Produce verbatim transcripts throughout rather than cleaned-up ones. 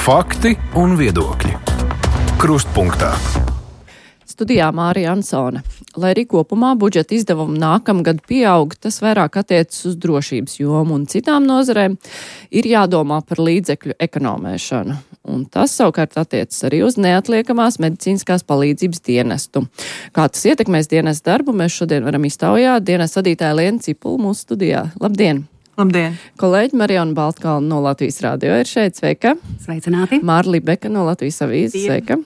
Fakti un viedokļi. Krustpunktā. Studijā Mārija Ansone. Lai arī kopumā budžeta izdevumi nākamgad pieaug, tas vairāk attiecas uz drošības jomu un citām nozarēm, ir jādomā par līdzekļu ekonomēšanu. Un tas savukārt attiecas arī uz neatliekamās medicīniskās palīdzības dienestu. Kā tas ietekmēs dienestu darbu, mēs šodien varam iztaujāt. Dienestu vadītāja Liena Cipula mūsu studijā. Labdien! Labdien! Kolēģi Marijona Baltkalna no Latvijas radio ir šeit. Sveika! Sveicināti! Māra Libeka no Latvijas avīzes. Sveika!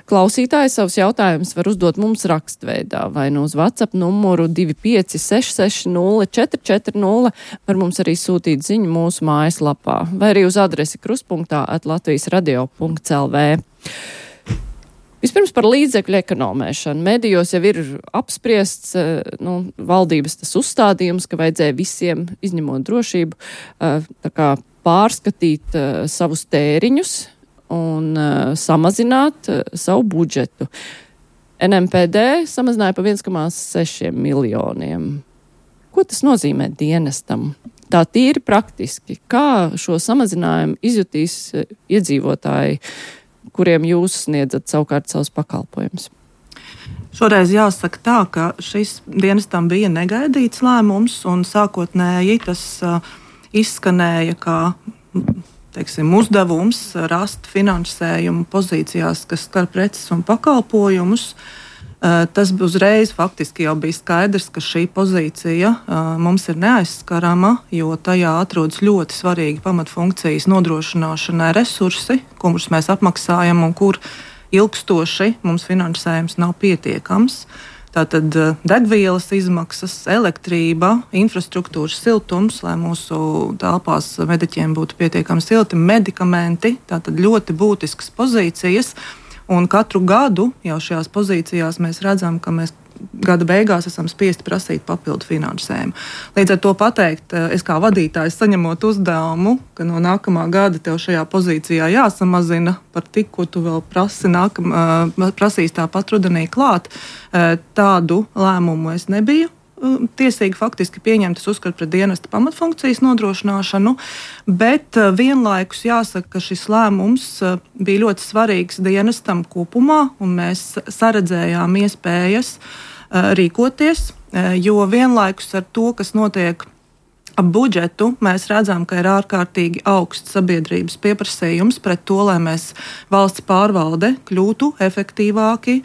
Klausītāji savus jautājumus var uzdot mums rakstveidā vai no uz WhatsApp numuru divi pieci seši seši nulle četri četri nulle. Var mums arī sūtīt ziņu mūsu mājaslapā vai arī uz adresi krustpunktā at latvijas radio punkts el vē. Vispirms par līdzekļu ekonomēšanu. Medijos jau ir apspriests nu, valdības tas uzstādījums, ka vajadzēja visiem, izņemot drošību, tā kā pārskatīt savus tēriņus un samazināt savu budžetu. en em pē dē samazināja pa viens komats seši miljoniem. Ko tas nozīmē dienestam? Tā tīri praktiski. Kā šo samazinājumu izjutīs iedzīvotāji, kuriem jūs sniedzat savukārt savus pakalpojumus? Šoreiz jāsaka tā, ka šis dienestam bija negaidīts lēmums, un sākotnēji tas uh, izskanēja kā teiksim, uzdevums rast finansējumu pozīcijās, kas skar preces un pakalpojumus. Uh, tas uzreiz faktiski jau bija skaidrs, ka šī pozīcija uh, mums ir neaizskarama, jo tajā atrodas ļoti svarīgi pamatfunkcijas nodrošināšanai resursi, kurus mēs apmaksājam un kur ilgstoši mums finansējums nav pietiekams. Tātad uh, degvielas izmaksas, elektrība, infrastruktūras siltums, lai mūsu telpās mediķiem būtu pietiekami silti, medikamenti, tātad ļoti būtiskas pozīcijas. Un katru gadu jau šajās pozīcijās mēs redzam, ka mēs gada beigās esam spiesti prasīt papildu finansējumu. Līdz ar to pateikt, es kā vadītājs saņemot uzdevumu, ka no nākamā gada tev šajā pozīcijā jāsamazina par tik, ko tu vēl prasi, nākam, prasīs tāpat rudenī klāt, tādu lēmumu es nebiju tiesīgi faktiski pieņemt, es uzskatu pret dienesta pamatfunkcijas nodrošināšanu, bet vienlaikus jāsaka, ka šis lēmums bija ļoti svarīgs dienestam kopumā, un mēs saredzējām iespējas rīkoties, jo vienlaikus ar to, kas notiek ap budžetu, mēs redzam, ka ir ārkārtīgi augsts sabiedrības pieprasījums pret to, lai mēs valsts pārvalde kļūtu efektīvāki,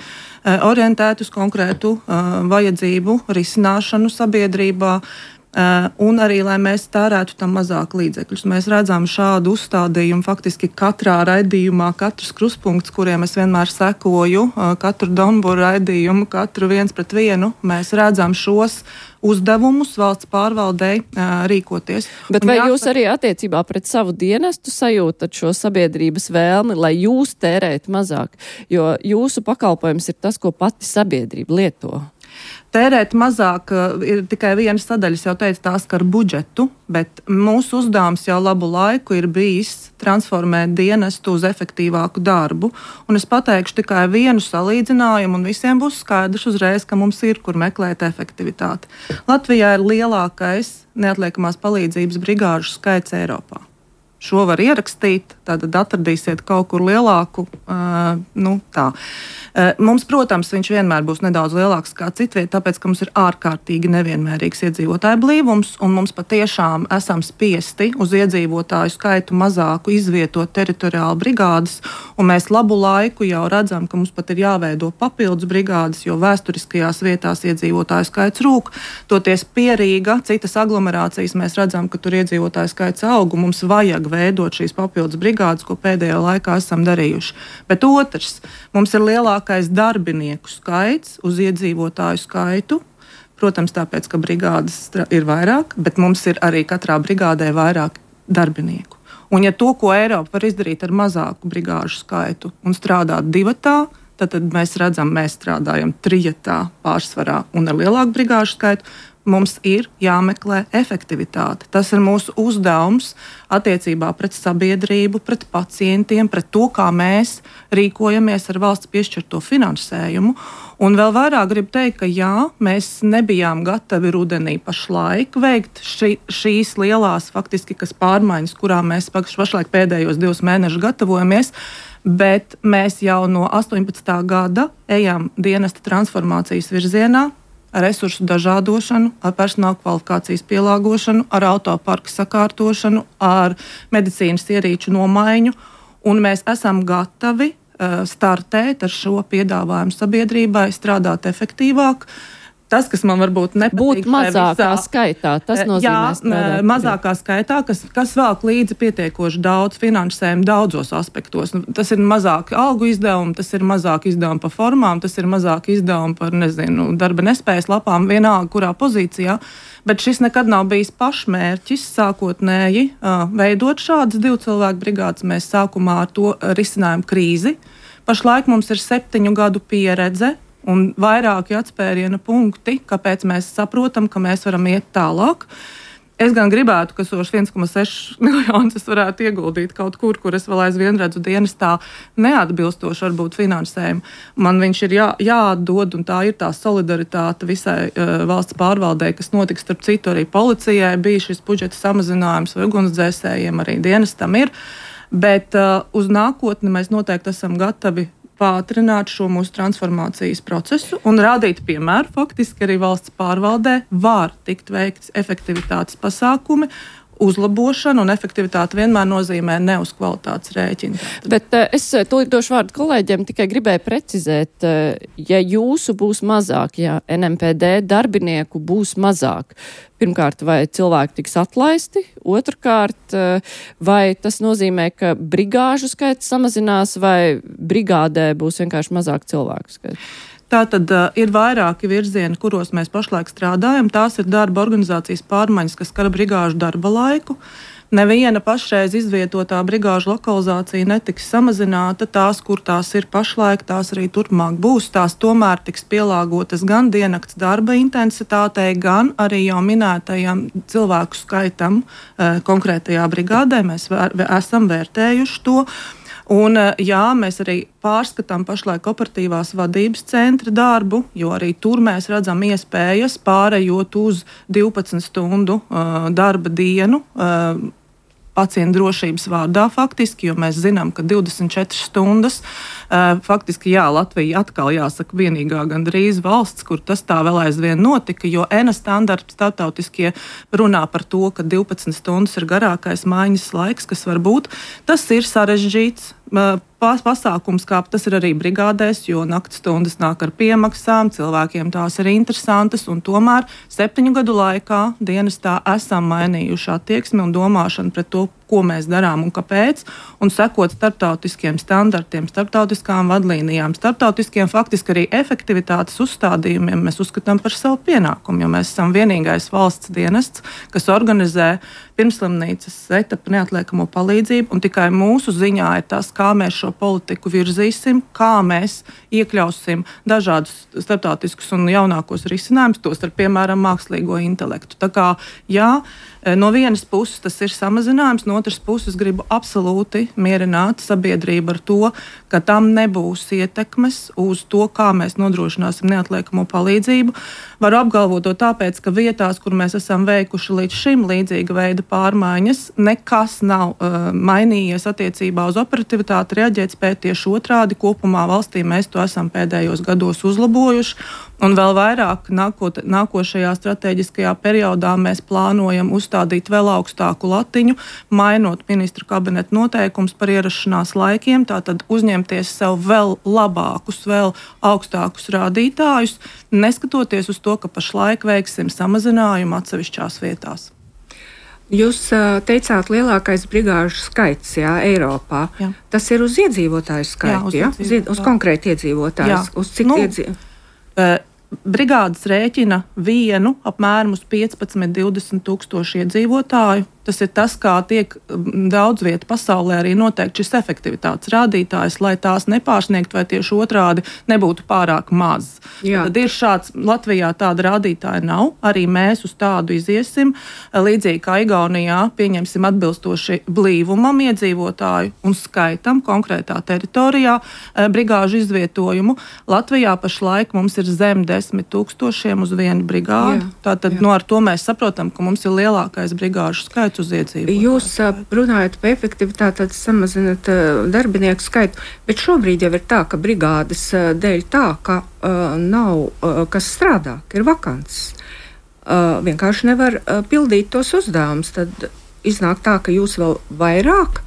orientēt uz konkrētu uh, vajadzību risināšanu sabiedrībā uh, un arī, lai mēs tērētu tam mazāk līdzekļus. Mēs redzam šādu uzstādījumu faktiski katrā raidījumā, katrs krustpunkts, kuriem es vienmēr sekoju, uh, katru Donburu raidījumu, katru viens pret vienu, mēs redzam šos uzdevumus valsts pārvaldei uh, rīkoties. Bet un vai jāsaka, jūs arī attiecībā pret savu dienestu sajūtat šo sabiedrības vēlmi, lai jūs tērētu mazāk? Jo jūsu pakalpojums ir tas, ko pati sabiedrība lieto. Tērēt mazāk ir tikai viena sadaļa, jau teicu, tās skar budžetu, bet mūsu uzdevums jau labu laiku ir bijis transformēt dienestu uz efektīvāku darbu. Un es pateikšu tikai vienu salīdzinājumu, un visiem būs skaidrs uzreiz, ka mums ir, kur meklēt efektivitāti. Latvijā ir lielākais neatliekamās palīdzības brigāžu skaits Eiropā. Šo var ierakstīt, tad atradīsiet kaut kur lielāku. Uh, nu, tā. Uh, mums, protams, viņš vienmēr būs nedaudz lielāks kā citviet, tāpēc, ka mums ir ārkārtīgi nevienmērīgs iedzīvotāju blīvums, un mums patiešām esam spiesti uz iedzīvotāju skaitu mazāku izvietot teritoriāli brigādes, un mēs labu laiku jau redzam, ka mums pat ir jāveido papildus brigādes, jo vēsturiskajās vietās iedzīvotāju skaits rūk. Toties Pierīga, citas aglomerācijas, mēs redzam, ka tur iedzīvotāju skaits aug, un mums vajag veidot šīs papildus brigādes, ko pēdējā laikā esam darījuši. Bet otrs, mums ir lielākais darbinieku skaits uz iedzīvotāju skaitu. Protams, tāpēc, ka brigādes ir vairāk, bet mums ir arī katrā brigādē vairāk darbinieku. Un ja to, ko Eiropa var izdarīt ar mazāku brigāžu skaitu un strādāt divatā, tad, tad mēs redzam, mēs strādājam trijatā pārsvarā un ar lielāku brigāžu skaitu. mums ir jāmeklē efektivitāte. Tas ir mūsu uzdevums attiecībā pret sabiedrību, pret pacientiem, pret to, kā mēs rīkojamies ar valsts piešķirto finansējumu. Un vēl vairāk gribu teikt, ka jā, mēs nebijām gatavi rudenī pašlaik veikt ši, šīs lielās faktiski, kas pārmaiņas, kurām mēs pašlaik pēdējos divus mēnešus gatavojamies, bet mēs jau no astoņpadsmitā gada ejam dienesta transformācijas virzienā, ar resursu dažādošanu, ar personāla kvalifikācijas pielāgošanu, ar autoparka sakārtošanu, ar medicīnas ierīču nomaiņu, un mēs esam gatavi uh, startēt ar šo piedāvājumu sabiedrībai, strādāt efektīvāk. Tas, kas man varbūt nepatīk, būt mazākā visā, skaitā, tas nozīmē jā, strādāt. mazākā skaitā, kas, kas velk līdzi pietiekoši daudz finansējumu daudzos aspektos. Tas ir mazāk algu izdevumi, tas ir mazāk izdevumi par formām, tas ir mazāk izdevumi par, nezinu, darba nespējas lapām, vienalga, kurā pozīcijā. Bet šis nekad nav bijis pašmērķis sākotnēji veidot šādas divu cilvēku brigādes. Mēs sākumā ar to risinājām krīzi. Pašlaik mums ir septiņu gadu pieredze un vairāki atspēriena punkti, kāpēc mēs saprotam, ka mēs varam iet tālāk. Es gan gribētu, ka tos viens komats seši miljonus es varētu ieguldīt kaut kur, kur es vēl aizvien redzu dienestā neatbilstoši varbūt finansējumu. Man viņš ir jā, jāatdod, un tā ir tā solidaritāte visai uh, valsts pārvaldē, kas notiks starp citu arī policijai. Bija šis budžeta samazinājums vai ugunsdzēsējiem, arī dienestam ir. Bet uh, uz nākotni mēs noteikti esam gatavi pātrināt šo mūsu transformācijas procesu un rādīt piemēru. Faktiski arī valsts pārvaldē var tikt veikts efektivitātes pasākumi, uzlabošana, un efektivitāte vienmēr nozīmē ne uz kvalitātes rēķina. Bet uh, es tūlīt došu vārdu kolēģiem, tikai gribēju precizēt, uh, ja jūsu būs mazāk, ja N M P D darbinieku būs mazāk, pirmkārt, vai cilvēki tiks atlaisti, otrkārt, uh, vai tas nozīmē, ka brigāžu skaits samazinās, vai brigādē būs vienkārši mazāk cilvēku skaits? Tātad uh, ir vairāki virzieni, kuros mēs pašlaik strādājam. Tās ir darba organizācijas pārmaiņas, kas skar brigāžu darba laiku. Neviena pašreiz izvietotā brigāžu lokalizācija netiks samazināta. Tās, kur tās ir pašlaik, tās arī turpmāk būs. Tās tomēr tiks pielāgotas gan diennakts darba intensitātei, gan arī jau minētajam cilvēku skaitam uh, konkrētajā brigādē. Mēs vēr, esam vērtējuši to. Un, jā, mēs arī pārskatām pašlaik operatīvās vadības centra darbu, jo arī tur mēs redzam iespējas pārējot uz divpadsmit stundu uh, darba dienu uh, pacientu drošības vārdā faktiski, jo mēs zinām, ka divdesmit četras stundas uh, faktiski, jā, Latvija atkal jāsaka vienīgā gandrīz valsts, kur tas tā vēl aizvien notika, jo E N A standarti starptautiskie runā par to, ka divpadsmit stundas ir garākais maiņas laiks, kas var būt. Tas ir sarežģīts uh, pasākums, kā tas ir arī brigādēs, jo nakts stundas nāk ar piemaksām, cilvēkiem tās ir interesantas, un tomēr septiņu gadu laikā dienestā esam mainījuši attieksmi un domāšanu pret to, ko mēs darām un kāpēc, un sekot starptautiskiem standartiem, starptautiskām vadlīnijām, starptautiskiem faktiski arī efektivitātes uzstādījumiem mēs uzskatām par savu pienākumu, jo mēs esam vienīgais valsts dienests, kas organizē pirmslimnīcas etapu neatliekamo palīdzību, un tikai mūsu ziņā ir tas, kā mēs šo politiku virzīsim, kā mēs iekļausim dažādus starptautiskus un jaunākos risinājumus, tos ar, piemēram, mākslīgo intelektu. Tā kā, jā, no vienas puses tas ir samazinājums, no otras puses gribu absolūti mierināt sabiedrību ar to, ka tam nebūs ietekmes uz to, kā mēs nodrošināsim neatliekamo palīdzību. Varu apgalvot to tāpēc, ka vietās, kur mēs esam veikuši līdz šim līdzīga veida pārmaiņas, nekas nav uh, mainījies attiecībā uz operativitāti, reaģēt spēt tieši otrādi. Kopumā valstī mēs to esam pēdējos gados uzlabojuši. Un vēl vairāk nākot, nākošajā strateģiskajā periodā mēs plānojam uzstādīt vēl augstāku latiņu, mainot ministru kabineta noteikumus par ierašanās laikiem, tātad uzņemties sev vēl labākus, vēl augstākus rādītājus, neskatoties uz to, ka pašlaik veiksim samazinājumu atsevišķās vietās. Jūs teicāt, lielākais brigāžu skaits, jā, Eiropā. Jā. Tas ir uz iedzīvotāju skaitu, jā? Uz, jā? uz konkrēti iedzīvotājus. Uz cik nu, iedzīvotājus? Brigādes rēķina vienu apmēram uz piecpadsmit līdz divdesmit tūkstoši iedzīvotāju. Tas ir tas, kā tiek daudz vietu pasaulē arī noteikti šis efektivitātes rādītājs, lai tās nepārsniegt vai tieši otrādi nebūtu pārāk maz. Jā. Tad ir šāds, Latvijā tāda rādītāja nav, arī mēs uz tādu iziesim, līdzīgi kā Igaunijā pieņemsim atbilstoši blīvumam iedzīvotāju un skaitam konkrētā teritorijā brigāžu izvietojumu. Latvijā pašlaik mums ir zem desmit tūkstošiem uz vienu brigādu. Jā. Tātad no ar to mēs saprotam, ka mums ir lielākais brigāžu skaits uz iedzīvotāju. Jūs runājat par efektivitāti, tad samazināt uh, darbinieku skaitu, bet šobrīd jau ir tā, ka brigādes uh, dēļ tā, ka uh, nav uh, kas strādā, ka ir vakants. Uh, vienkārši nevar uh, pildīt tos uzdevumus. Tad iznāk tā, ka jūs vēl vairāk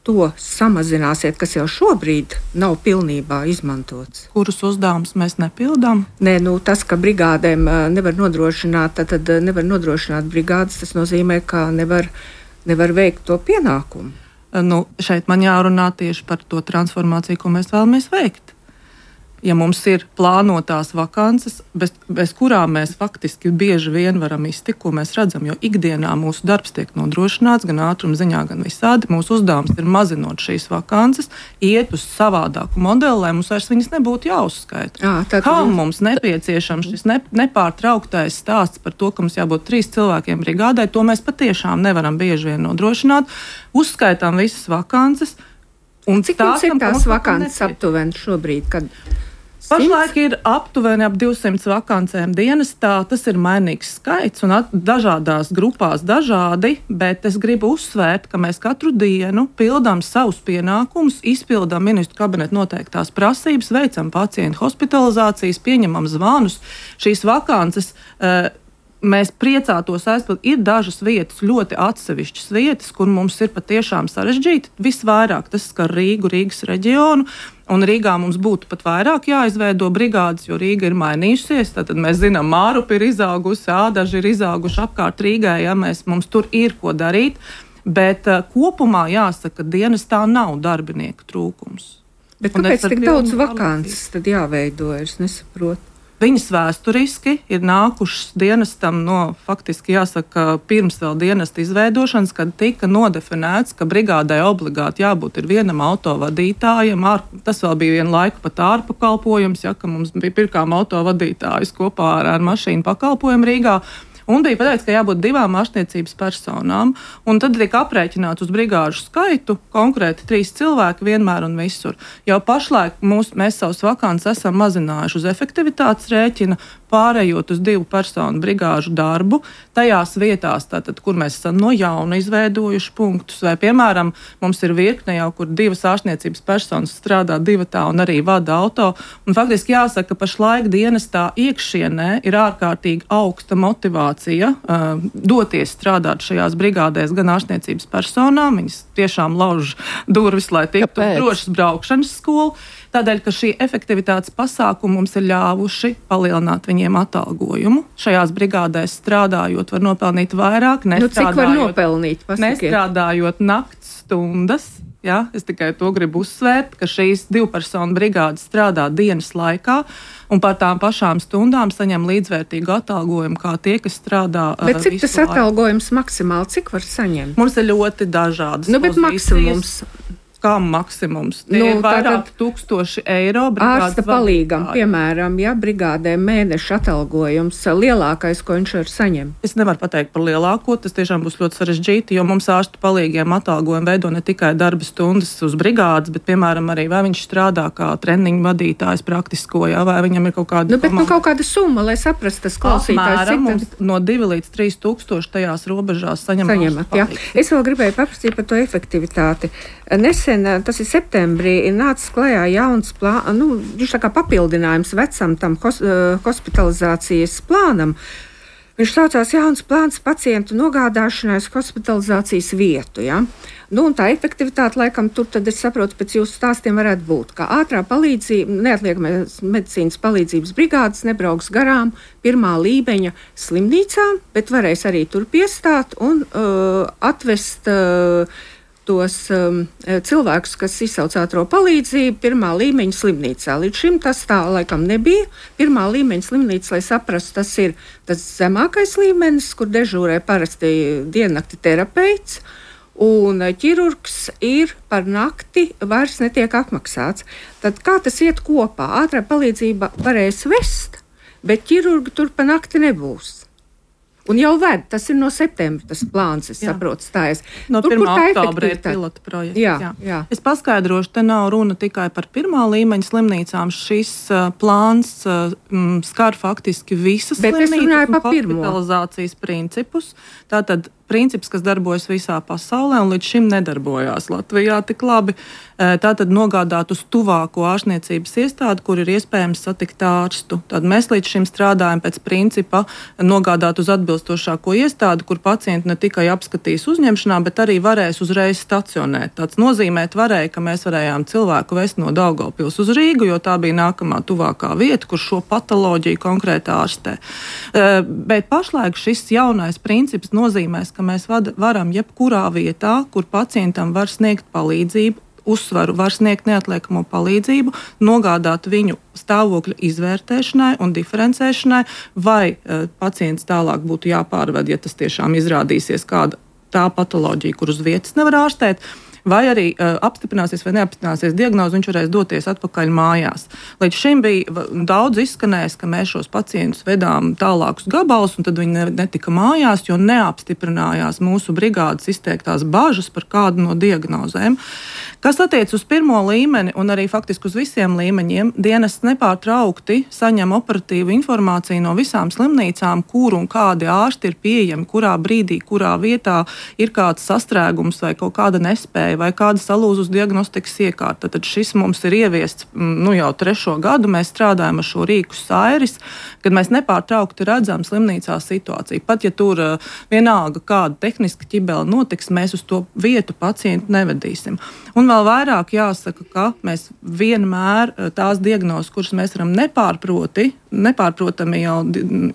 to samazināsiet, kas jau šobrīd nav pilnībā izmantots. Kurus uzdevumus mēs nepildām? Nē, nu, tas, ka brigādēm uh, nevar nodrošināt, tad, tad nevar nodrošināt brigādes, tas nozīmē, ka nevar, nevar veikt to pienākumu. Nu, šeit man jārunā tieši par to transformāciju, ko mēs vēlamies veikt. Ja mums ir plānotās vakances, bez, bez kurām mēs faktiski bieži vien varam iztikt, ko mēs redzam, jo ikdienā mūsu darbs tiek nodrošināts gan ātruma ziņā, gan visādi. Mūsu uzdevums ir mazinot šīs vakances, iet uz savādāku modeli, lai mums vairs viņas nebūtu jāuzskaita. Jā, tad... Kam mums nepieciešams šis ne, nepārtrauktais stāsts par to, ka mums jābūt trīs cilvēkiem brigādai, to mēs patiešām nevaram bieži vien nodrošināt. Uzskaitām visas vakances. Un cik jums ir tās vakances aptuveni šobrīd, kad... Pašlaik ir aptuveni ap divsimt vakancēm dienestā. Tas ir mainīgs skaits un at, dažādās grupās dažādi, bet es gribu uzsvērt, ka mēs katru dienu pildām savus pienākumus, izpildām ministru kabineta noteiktās prasības, veicam pacientu hospitalizācijas, pieņemam zvanus. Šīs vakances uh, mēs priecātos aizpildīt. Ir dažas vietas, ļoti atsevišķas vietas, kur mums ir patiešām sarežģīti. Visvairāk tas skar Rīgu, Rīgas reģionu. Un Rīgā mums būtu pat vairāk jāizveido brigādes, jo Rīga ir mainījusies. Tad mēs zinām, Mārupi ir izaugusi, Ādaži ir izauguši apkārt Rīgai, ja mēs, mums tur ir ko darīt. Bet uh, kopumā jāsaka, ka dienestā nav darbinieku trūkums. Bet kāpēc tik daudz vakances tad jāveido, es nesaprotu? Viņas vēsturiski ir nākušas dienestam no, faktiski jāsaka, pirms vēl dienesta izveidošanas, kad tika nodefinēts, ka brigādai obligāti jābūt ir vienam autovadītājam. Tas vēl bija vienu laiku pat ārpakalpojums, ja, ka mums bija pirkām autovadītājus kopā ar, ar mašīnu pakalpojumu Rīgā. Un bija pateikts, ka jābūt divām ārstniecības personām, un tad tika aprēķināts uz brigāžu skaitu, konkrēti trīs cilvēki vienmēr un visur. Jau pašlaik mūs, mēs savus vakances esam mazinājuši uz efektivitātes rēķina, pārējot uz divu personu brigāžu darbu, tajās vietās, tātad, kur mēs esam no jauna izveidojuši punktus, vai, piemēram, mums ir virkne jau, kur divas ārstniecības personas strādā divatā un arī vada auto, un faktiski jāsaka, ka pašlaik dienestā iekšienē ir ārkārtīgi augsta motivācija uh, doties strādāt šajās brigādēs gan ārstniecības personām, viņas tiešām lauž durvis, lai tiktu drošas braukšanas skolu. Tādēļ, ka šī efektivitātes pasākuma mums ir ļāvuši palielināt viņiem atalgojumu. Šajās brigādēs strādājot, var nopelnīt vairāk, nu, cik var nopelnīt? Pasakiet. Nestrādājot nakts stundas. Ja, es tikai to gribu uzsvērt, ka šīs divpersonu brigādes strādā dienas laikā un par tām pašām stundām saņem līdzvērtīgu atalgojumu kā tie, kas strādā. Bet cik tas atalgojums maksimāli, cik var saņemt? Mums ir ļoti dažādas nu, bet maksimums. Kā maksimums? Tie nu, ir vairāk tūkstoši eiro. Ārsta palīgam, piemēram, ja brigādē mēneša atalgojums lielākais, ko viņš var saņemt. Es nevaru pateikt par lielāko, tas tiešām būs ļoti sarežģīti, jo mums ārsta palīgiem atalgojumu veido ne tikai darba stundas uz brigādes, bet, piemēram, arī vai viņš strādā kā treniņu vadītājs praktisko, jā, vai viņam ir kaut kāda... Nu, bet nu, kaut kāda summa, lai saprastu tas klausītājs. Apmēram mums no divi līdz trīs tūkstoši tajās robežās saņem. Saņemat, jā. Es vēl gribēju paprasīt par to efektivitāti. Nesen, tas ir septembrī, ir nācis klajā jauns plāns, nu, viņš tā kā papildinājums vecam tam hos, uh, hospitalizācijas plānam. Viņš saucās jauns plāns pacientu nogādāšanai uz hospitalizācijas vietu, ja? Nu, un tā efektivitāte, laikam, tur tad es saprotu, pēc jūsu stāstiem varētu būt, ka ātrā palīdzība, neatliekamās medicīnas palīdzības brigādes nebrauks garām pirmā līmeņa slimnīcām, bet varēs arī tur piestāt un uh, atvest uh, tos um, cilvēkus, kas izsauc ātro palīdzību pirmā līmeņa slimnīcā. Līdz šim tas tā laikam nebija. Pirmā līmeņa slimnīca, lai saprastu, tas ir tas zemākais līmenis, kur dežūrē parasti diennakti terapeits, un ķirurgs ir par nakti vairs netiek apmaksāts. Tad kā tas iet kopā? Ātrā palīdzība varēs vest, bet ķirurgi tur pa nakti nebūs. Un jau ved, tas ir no septembra, tas plāns, es jā. saprotu, stājas. No pirmā oktobra ir pilota projekts. Jā, jā. Jā. Es paskaidrošu, te nav runa tikai par pirmā līmeņa slimnīcām. Šis uh, plāns uh, m, skar faktiski visas Bet slimnīcas un hospitalizācijas principus. Tātad princips, kas darbojas visā pasaulē un līdz šim nedarbojās Latvijā tik labi. Tātad nogādāt uz tuvāko ārstniecības iestādi, kur ir iespējams satikt ārstu. Tad mēs līdz šim strādājam pēc principa nogādāt uz atbilstošāko iestādi, kur pacienti ne tikai apskatīs uzņemšanā, bet arī varēs uzreiz stacionēt. Tāds nozīmēt varēja, ka mēs varējām cilvēku vest no Daugavpils uz Rīgu, jo tā bija nākamā tuvākā vieta, kur šo patoloģiju konkrēti ārstē. Bet pašlaik šis jaunais princips nozīmēs, ka mēs varam jebkurā vietā, kur pacientam var sniegt palīdzību, uzsvaru var sniegt neatliekamo palīdzību, nogādāt viņu stāvokļa izvērtēšanai un diferencēšanai, vai uh, pacients tālāk būtu jāpārved, ja tas tiešām izrādīsies kāda tā patoloģija, kur uz vietas nevar ārstēt, vai arī uh, apstiprināsies vai neapstiprināsies diagnozi, viņš varēs doties atpakaļ mājās. Līdz šim bija daudz izskanējis, ka mēs šos pacientus vedām tālākus gabalus, un tad viņi netika mājās, jo neapstiprinājās mūsu brigādes izteiktās bažas par kādu no diagnozēm. Kas attiec uz pirmo līmeni un arī faktiski uz visiem līmeņiem, dienests nepārtraukti saņem operatīvu informāciju no visām slimnīcām, kur un kādi ārsti ir pieejami, kurā brīdī, kurā vietā ir kāds sastrēgums vai kaut kāda nespēja vai kāda salūzus diagnostikas iekārta. Tad šis mums ir ieviests nu, jau trešo gadu. Mēs strādājam ar šo rīku Sairis, kad mēs nepārtraukti redzam slimnīcā situāciju. Pat ja tur vienalga kāda tehniska ķibele notiks, mēs uz to vietu pacientu nevedīsim. Un vēl vairāk jāsaka, ka mēs vienmēr tās diagnozes, kuras mēs varam nepārproti, nepārprotami jau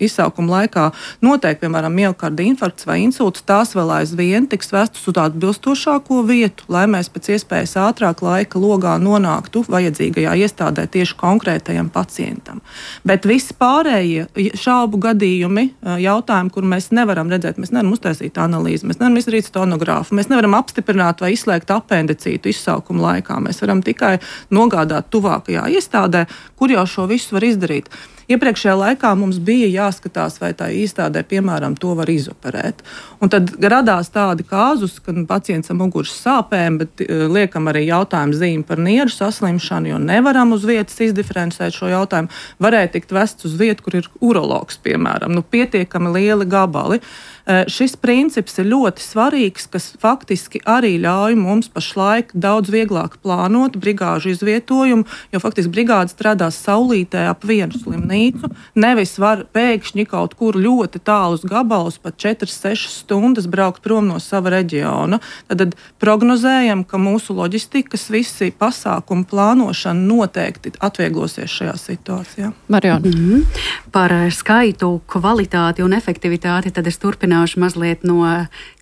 izsaukuma laikā noteikti, piemēram, miokarda infarkts vai insults, tās vēl aizvien tiks vestas uz tādu bilstošāko vietu, lai mēs pēc iespējas ātrāk laika logā nonāktu vajadzīgajā iestādē tieši konkrētajam pacientam. Bet visi pārējie šaubu gadījumi, jautājumi, kur mēs nevaram redzēt, mēs nevaram uztaisīt analīzi, mēs nevaram izdarīt sonogrāfu, mēs nevaram apstiprināt vai izslēgt apendicītu izsaukuma laikā. Mēs varam tikai nogādāt tuvākajā iestādē, kur jau šo visu var izdarīt. Iepriekšējā laikā mums bija jāskatās, vai tā iestādē, piemēram, to var izoperēt. Un tad radās tādi kāzus, kad pacients ar muguras sāpēm, bet liekam arī jautājumu zīmi par nieru saslimšanu, jo nevaram uz vietas izdiferencēt šo jautājumu. Varēja tikt vests uz vietu, kur ir urologs, piemēram, nu pietiekami lieli gabali. Šis princips ir ļoti svarīgs, kas faktiski arī ļauj mums pašlaik daudz vieglāk plānot brigāžu izvietojumu, jo faktiski brigāde strādās saulītē ap vienu slimnīcu, nevis var pēkšņi kaut kur ļoti tālus gabalus, pat četras sešas stundas braukt prom no sava reģiona. Tad prognozējam, ka mūsu loģistikas visi pasākumu plānošana noteikti atvieglosies šajā situācijā. Mariona. Mm-hmm. Par skaitu, kvalitāti un efektivitāti tad es turpināšu mazliet no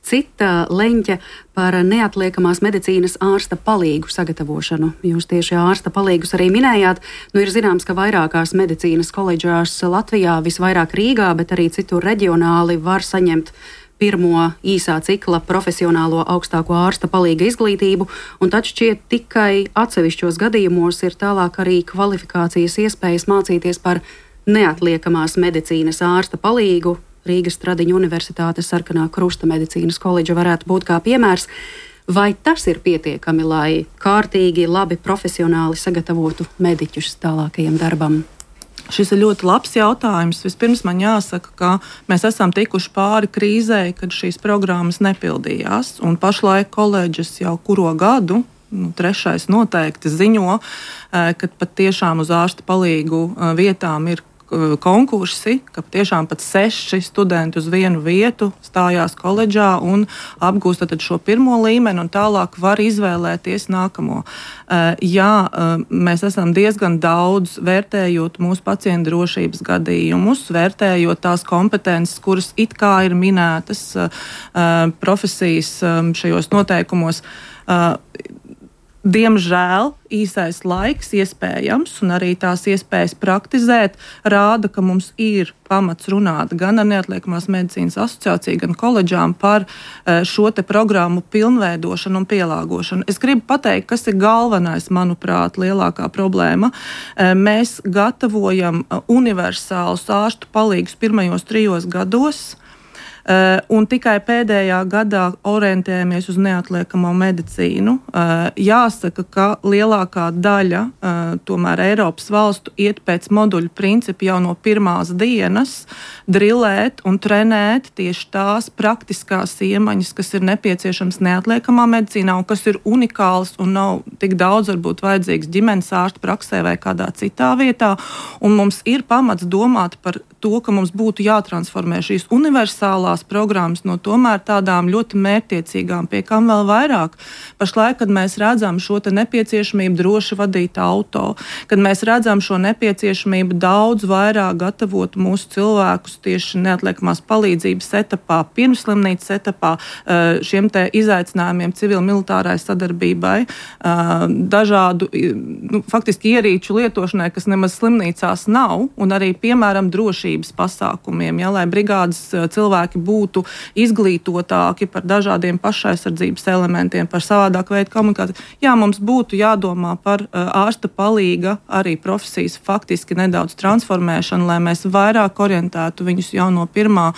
cita leņķa par neatliekamās medicīnas ārsta palīgu sagatavošanu. Jūs tieši ārsta palīgus arī minējāt. Nu, ir zināms, ka vairākās medicīnas koledžās Latvijā, visvairāk Rīgā, bet arī citur reģionāli var saņemt pirmo īsā cikla profesionālo augstāko ārsta palīga izglītību, un tad šķiet tikai atsevišķos gadījumos ir tālāk arī kvalifikācijas iespējas mācīties par neatliekamās medicīnas ārsta palīgu. Rīgas Tradiņu Universitātes Sarkanā Krusta medicīnas koledža varētu būt kā piemērs. Vai tas ir pietiekami, lai kārtīgi, labi, profesionāli sagatavotu mediķus tālākajam darbam? Šis ir ļoti labs jautājums. Vispirms man jāsaka, ka mēs esam tikuši pāri krīzē, kad šīs programmas nepildījās, un pašlaik koledžas jau kuro gadu, nu, trešais noteikti ziņo, ka pat tiešām uz ārsta palīgu vietām ir konkursi, ka tiešām pat seši studenti uz vienu vietu stājās koledžā un apgūst tad šo pirmo līmeni un tālāk var izvēlēties nākamo. Jā, mēs esam diezgan daudz vērtējot mūsu pacientu drošības gadījumus, vērtējot tās kompetences, kuras it kā ir minētas profesijas šajos noteikumos. Diemžēl īsais laiks iespējams un arī tās iespējas praktizēt rāda, ka mums ir pamats runāt gan ar Neatliekamās medicīnas asociāciju, gan koledžām par šo te programmu pilnveidošanu un pielāgošanu. Es gribu pateikt, kas ir galvenais, manuprāt, lielākā problēma. Mēs gatavojam universālus ārstu palīgus pirmajos trijos gados, Uh, un tikai pēdējā gadā orientējamies uz neatliekamo medicīnu. Uh, jāsaka, ka lielākā daļa uh, tomēr Eiropas valstu iet pēc moduļu principa jau no pirmās dienas drillēt un trenēt tieši tās praktiskās iemaņas, kas ir nepieciešams neatliekamā medicīnā un kas ir unikāls un nav tik daudz varbūt vajadzīgs ģimenes ārsta praksē vai kādā citā vietā. Un mums ir pamats domāt par to, ka mums būtu jātransformē šīs universālās programmas no tomēr tādām ļoti mērķtiecīgām, pie kam vēl vairāk. Pašlaik, kad mēs redzam šo te nepieciešamību droši vadīt auto, kad mēs redzam šo nepieciešamību daudz vairāk gatavot mūsu cilvēkus tieši neatliekamās palīdzības etapā, pirmslimnīcas etapā, šiem te izaicinājumiem civil-militārai sadarbībai, dažādu, nu, faktiski ierīču lietošanai, kas nemaz slimnīcās nav, un arī, piemēram, drošības pasākumiem, ja, lai brigādes cilvēki būtu izglītotāki par dažādiem pašaizsardzības elementiem, par savādāku veidu komunikāciju. Jā, mums būtu jādomā par ārsta palīga arī profesijas faktiski nedaudz transformēšanu, lai mēs vairāk orientētu viņus jau no pirmā,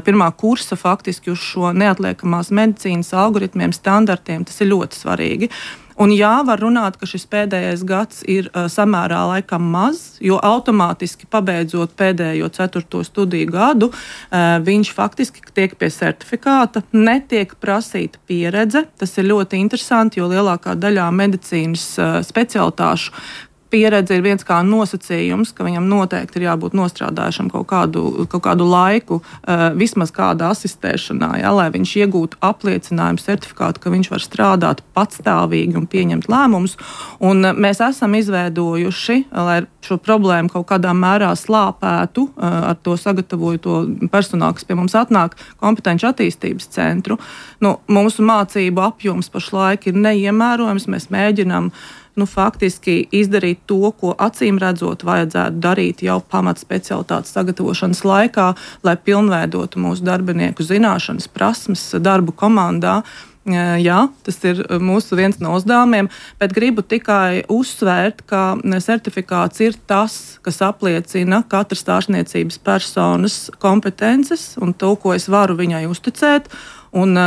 pirmā kursa faktiski uz šo neatliekamās medicīnas algoritmiem, standartiem. Tas ir ļoti svarīgi. Un jā, var runāt, ka šis pēdējais gads ir uh, samērā laikam maz, jo automātiski pabeidzot pēdējo ceturto studiju gadu, uh, viņš faktiski tiek pie certifikāta, netiek prasīta pieredze. Tas ir ļoti interesanti, jo lielākā daļā medicīnas uh, specialitāšu pieredze ir viens kā nosacījums, ka viņam noteikti ir jābūt nostrādājušam kaut kādu, kaut kādu laiku, uh, vismaz kāda asistēšanā, ja, lai viņš iegūtu apliecinājumu, certifikātu, ka viņš var strādāt patstāvīgi un pieņemt lēmumus. Un uh, mēs esam izveidojuši, lai šo problēmu kaut kādā mērā slāpētu, uh, ar to sagatavoju to personālu, kas pie mums atnāk, kompetenci attīstības centru. Nu, mūsu mācību apjoms pašlaik ir neiemērojams, mēs mēģinām nu, faktiski izdarīt to, ko acīm redzot vajadzētu darīt jau pamat specialitātes sagatavošanas laikā, lai pilnveidotu mūsu darbinieku zināšanas, prasmes, darbu komandā. Jā, tas ir mūsu viens no uzdevumiem, bet gribu tikai uzsvērt, ka certifikāts ir tas, kas apliecina katras ārstniecības personas kompetences un to, ko es varu viņai uzticēt. Un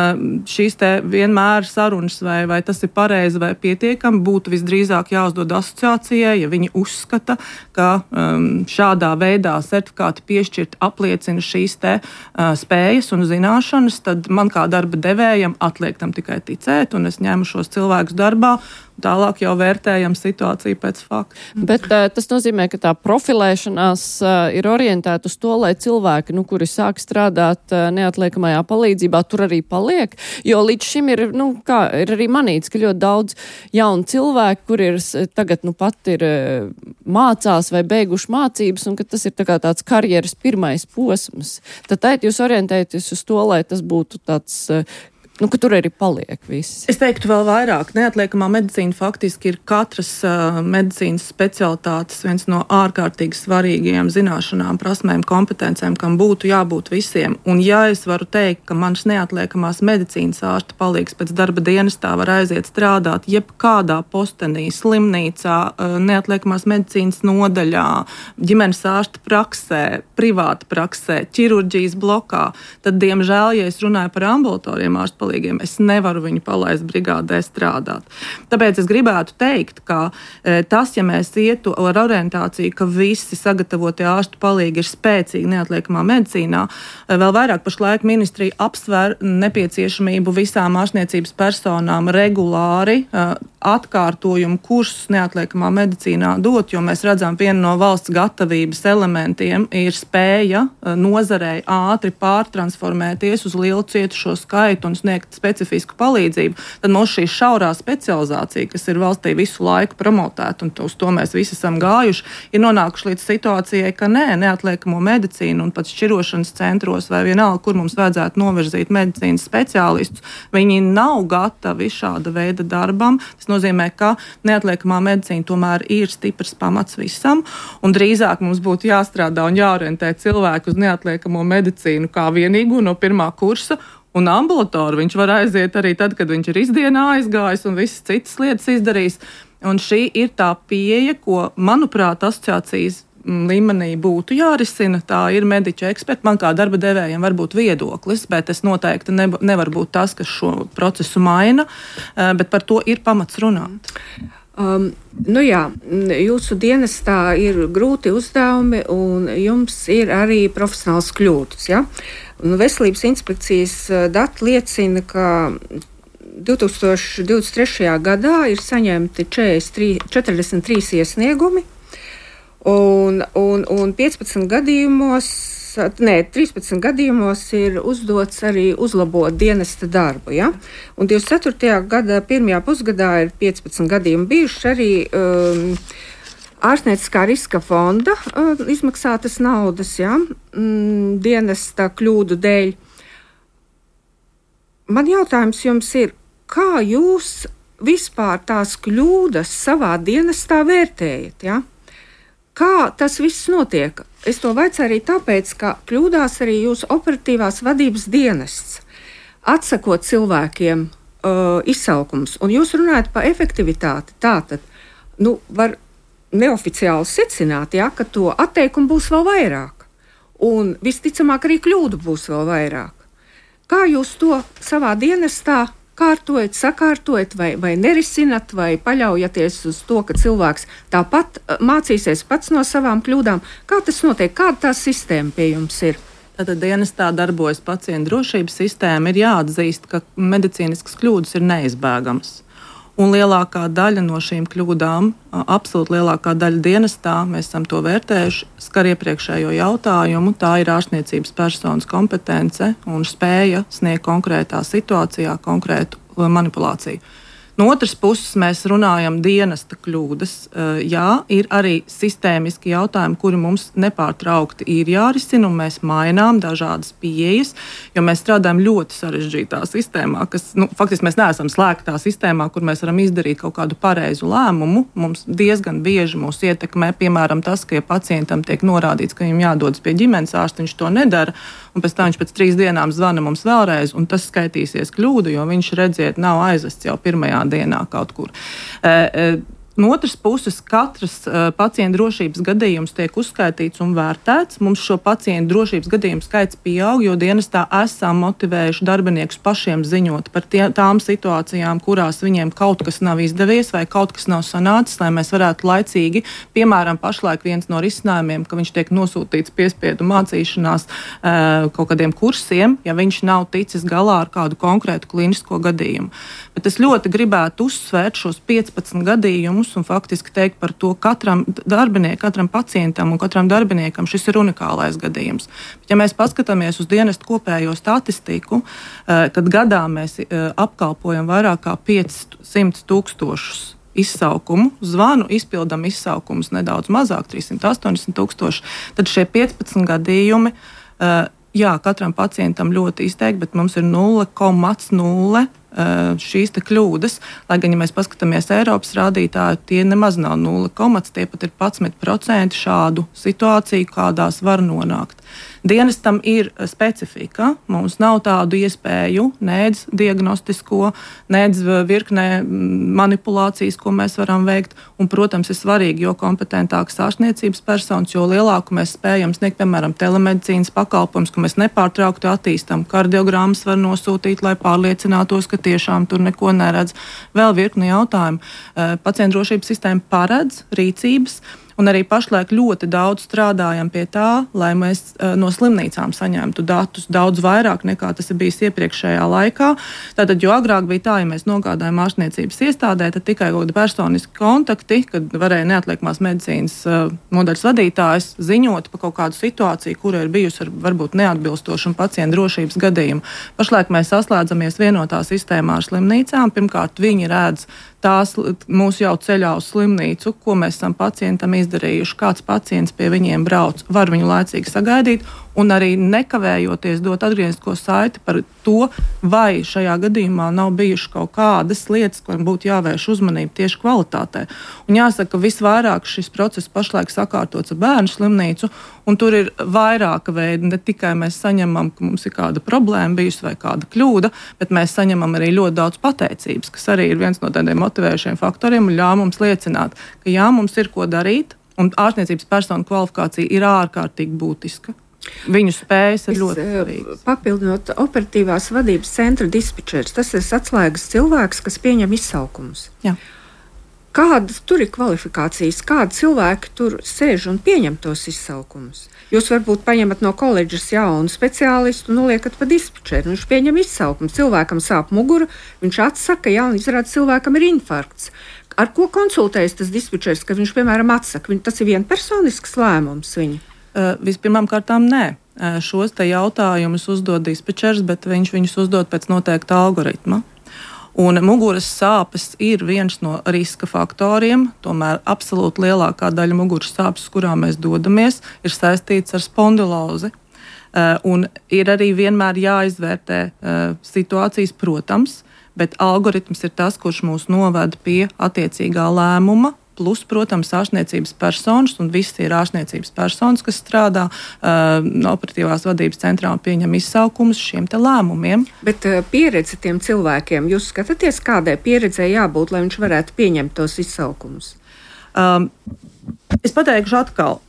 šīs te vienmēr sarunas, vai, vai tas ir pareizi vai pietiekami, būtu visdrīzāk jāuzdod asociācijai, ja viņi uzskata, ka um, šādā veidā certifikāti piešķirt apliecina šīs te uh, spējas un zināšanas, tad man kā darba devējam atliek tam tikai ticēt, un es ņemu šos cilvēkus darbā. Tālāk jau vērtējam situāciju pēc fakta. Bet uh, tas nozīmē, ka tā profilēšanās uh, ir orientēta uz to, lai cilvēki, nu, kuri sāk strādāt uh, neatliekamajā palīdzībā, tur arī paliek. Jo līdz šim ir, nu, kā ir arī manīts, ka ļoti daudz jaunu cilvēku, kur ir tagad, nu, pat ir uh, mācās vai beiguši mācības, un ka tas ir tā kā tāds karjeras pirmais posms. Tad tēt jūs orientēties uz to, lai tas būtu tāds uh, nu, ka tur arī paliek viss. Es teiktu vēl vairāk. Neatliekamā medicīna faktiski ir katras uh, medicīnas specialitātes viens no ārkārtīgi svarīgajiem zināšanām, prasmēm, kompetencēm, kam būtu jābūt visiem. Un ja es varu teikt, ka mans neatliekamās medicīnas ārsta palīgs pēc darba dienestā var aiziet strādāt jebkādā postenī, slimnīcā, uh, neatliekamās medicīnas nodaļā, ģimenes ārsta praksē, privāta praksē, ķirurģijas blokā, tad, diemžēl, ja es runāju par ambulatoriem ārsta palīgiem. Es nevaru viņu palaist brigādē strādāt. Tāpēc es gribētu teikt, ka e, tas, ja mēs ietu ar orientāciju, ka visi sagatavotie ārstu palīgi ir spēcīgi neatliekamā medicīnā, e, vēl vairāk pašlaik ministrija apsver nepieciešamību visām ārstniecības personām regulāri e, atkārtojumu kursus neatliekamā medicīnā dot, jo mēs redzam, viena no valsts gatavības elementiem ir spēja e, nozarei ātri pārtransformēties uz lielu cietušo skaitu un sniegt specifisku palīdzību. Tad mums šī šaurā specializācija, kas ir valstī visu laiku promotēta, un uz to mēs visi esam gājuši, ir nonākuši līdz situācijai, ka nē, neatliekamo medicīnu un pat šķirošanas centros vai vienalga, kur mums vajadzētu novirzīt medicīnas speciālistus, viņi nav gatavi šāda veida darbam. Tas nozīmē, ka neatliekamā medicīna tomēr ir stiprs pamats visam, un drīzāk mums būtu jāstrādā un jāorientē cilvēku uz neatliekamo medicīnu kā vienīgu no pirmā kursa, un ambulatori viņš var aiziet arī tad, kad viņš ir izdienā aizgājis un visas citas lietas izdarījis. Un šī ir tā pieeja, ko, manuprāt, asociācijas līmenī būtu jārisina. Tā ir mediķu eksperti. Man kā darba devējiem var būt viedoklis, bet es noteikti ne, nevar būt tas, kas šo procesu maina, bet par to ir pamats runāt. Um, nu jā, jūsu dienestā ir grūti uzdevumi un jums ir arī profesionāls kļūdas. Ja? Un Veselības inspekcijas dati liecina, ka divtūkstoš divdesmit trešajā gadā ir saņemti četrdesmit trīs iesniegumi un, un, un piecpadsmit gadījumos, nē, trīspadsmit gadījumos ir uzdots arī uzlabot dienesta darbu. Ja? Un divdesmit ceturtajā gada pirmajā pusgadā ir piecpadsmit gadījumi bijuši arī um, ārstnieciskā riska fonda uh, izmaksātas naudas, ja? um, dienesta kļūdu dēļ. Man jautājums jums ir, kā jūs vispār tās kļūdas savā dienestā vērtējat? Ja? Kā tas viss notiek? Es to vaicāju arī tāpēc, ka kļūdās arī jūsu operatīvās vadības dienests, atsakot cilvēkiem uh, izsaukums. Un jūs runājat par efektivitāti. Tātad, nu, var neoficiāli secināt, ja, ka to atteikumu būs vēl vairāk. Un visticamāk arī kļūdu būs vēl vairāk. Kā jūs to savā dienestā kārtojat, sakārtojat vai, vai nerisinat, vai paļaujaties uz to, ka cilvēks tāpat mācīsies pats no savām kļūdām? Kā tas notiek? Kāda tā sistēma pie jums ir? Tātad dienestā darbojas pacientu drošības sistēma. Ir jāatzīst, ka medicīniskas kļūdas ir neizbēgamas. Un lielākā daļa no šīm kļūdām, absolūti lielākā daļa dienestā, mēs esam to vērtējuši, skar iepriekšējo jautājumu. Tā ir ārstniecības personas kompetence un spēja sniegt konkrētā situācijā konkrētu manipulāciju. No otras puses, mēs runājam dienesta kļūdas. Jā, ir arī sistēmiski jautājumi, kuri mums nepārtraukti ir jārisina, un mēs mainām dažādas pieejas, jo mēs strādājam ļoti sarežģītā sistēmā, kas, nu, faktiski mēs neesam slēgtā sistēmā, kur mēs varam izdarīt kaut kādu pareizu lēmumu. Mums diezgan bieži mūs ietekmē, piemēram, tas, ka ja pacientam tiek norādīts, ka viņam jādodas pie ģimenes ārsta, viņš to nedara, un pēc tam viņš pēc trīs dienām zvana mums vēlreiz, un tas skaitīsies kļūdu, jo viņš, redziet, nav aizvests jau pirmajā dienā kaut kur. E, e, No otras puses, katrs uh, pacienta drošības gadījums tiek uzskaitīts un vērtēts. Mums šo pacientu drošības gadījumu skaits pieaug, jo dienestā esam motivējuši darbiniekus pašiem ziņot par tie, tām situācijām, kurās viņiem kaut kas nav izdevies vai kaut kas nav sanācis, lai mēs varētu laicīgi, piemēram, pašlaik viens no risinājumiem, ka viņš tiek nosūtīts piespiedu mācīšanās uh, kaut kādiem kursiem, ja viņš nav ticis galā ar kādu konkrētu klinisko gadījumu. Bet es ļoti gribētu uzsvērt šos piecpadsmit gadījumus un faktiski teikt par to katram darbiniekam, katram pacientam un katram darbiniekam šis ir unikālais gadījums. Bet, ja mēs paskatāmies uz dienestu kopējo statistiku, tad gadā mēs apkalpojam vairāk kā piecsimt tūkstošus izsaukumu, zvanu, izpildam izsaukumus nedaudz mazāk, trīssimt astoņdesmit tūkstoši, tad šie piecpadsmit gadījumi, jā, katram pacientam ļoti izteikti, bet mums ir nulle komats nulle šīs te kļūdas, lai gan, ja mēs paskatāmies Eiropas rādītāju, tie nemaz nav nulle komats, tie pat ir padsmit procenti šādu situāciju, kādās var nonākt. Dienestam ir specifika. Mums nav tādu iespēju, nedz diagnostisko, nedz virknē manipulācijas, ko mēs varam veikt. Un, protams, ir svarīgi, jo kompetentākas ārstniecības personas, jo lielāku mēs spējam sniegt, piemēram, telemedicīnas pakalpojumus, ko mēs nepārtraukti attīstam. Kardiogrammas var nosūtīt, lai pārliecinātos, ka tiešām tur neko neredz. Vēl virkni jautājumu. Pacientu drošības sistēma paredz rīcības. Un arī pašlaik ļoti daudz strādājam pie tā, lai mēs uh, no slimnīcām saņemtu datus daudz vairāk nekā tas ir bijis iepriekšējā laikā. Tātad, jo agrāk bija tā, ja mēs nogādājam ārstniecības iestādē, tad tikai kaut kādi personiski kontakti, kad varēja neatliekamās medicīnas uh, nodaļas vadītājs ziņot par kaut kādu situāciju, kura ir bijusi ar varbūt neatbilstošu un pacientu drošības gadījumu. Pašlaik mēs saslēdzamies vienotā sistēmā ar slimnīcām. Pirmkārt, viņi redz tās mūs jau ceļā uz slimnīcu, ko mēs esam pacientam izdarījuši, kāds pacients pie viņiem brauc, var viņu laicīgi sagaidīt un arī nekavējoties dot atgrieznisko saiti par to, vai šajā gadījumā nav bijuši kaut kādas lietas, kurām būtu jāvērš uzmanība tieši kvalitātē. Un jāsaka, ka visvairāk šis process pašlaik sakārtots ar bērnu slimnīcu, un tur ir vairāka veida. Ne tikai mēs saņemam, ka mums ir kāda problēma bijusi vai kāda kļūda, bet mēs saņemam arī ļoti daudz pateicības, kas arī ir viens no tādiem motivējušiem faktoriem un ļauj mums liecināt, ka jā, mums ir ko darīt, un ārstniecības personu kvalifikācija ir ārkārtīgi būtiska. Viņu spējas ir ļoti svarīgas. Papildinot operatīvās vadības centra dispečers, tas ir atslēgas cilvēks, kas pieņem izsaukumus. Jā. Kādas tur ir kvalifikācijas, kādi cilvēki tur sēž un pieņem tos izsaukumus? Jūs varbūt paņemat no koledžas jaunu speciālistu un noliekat pa dispečeru. Viņš pieņem izsaukumu. Cilvēkam sāp mugura, viņš atsaka, ja, un izrāda cilvēkam ir infarkts. Ar ko konsultējas tas dispečers, ka viņš, piemēram, atsaka? Tas ir vienpersonisks lēmums viņa? Uh, vispirmām kārtām nē. Uh, šos te jautājumus uzdod dispečers, bet viņš viņus uzdod pēc noteikta algoritma. Un muguras sāpes ir viens no riska faktoriem, tomēr absolūti lielākā daļa muguras sāpes, uz kurām mēs dodamies, ir saistīts ar spondilozi. Uh, un ir arī vienmēr jāizvērtē uh, situācijas, protams, bet algoritms ir tas, kurš mūs noved pie attiecīgā lēmuma. Plus, protams, ārstniecības personas, un visi ir ārstniecības personas, kas strādā uh, operatīvās vadības centrā un pieņem izsaukumus šiem te lēmumiem. Bet uh, pieredze tiem cilvēkiem, jūs skatāties, kādai pieredzei jābūt, lai viņš varētu pieņemt tos izsaukumus? Um, es pateikšu atkal,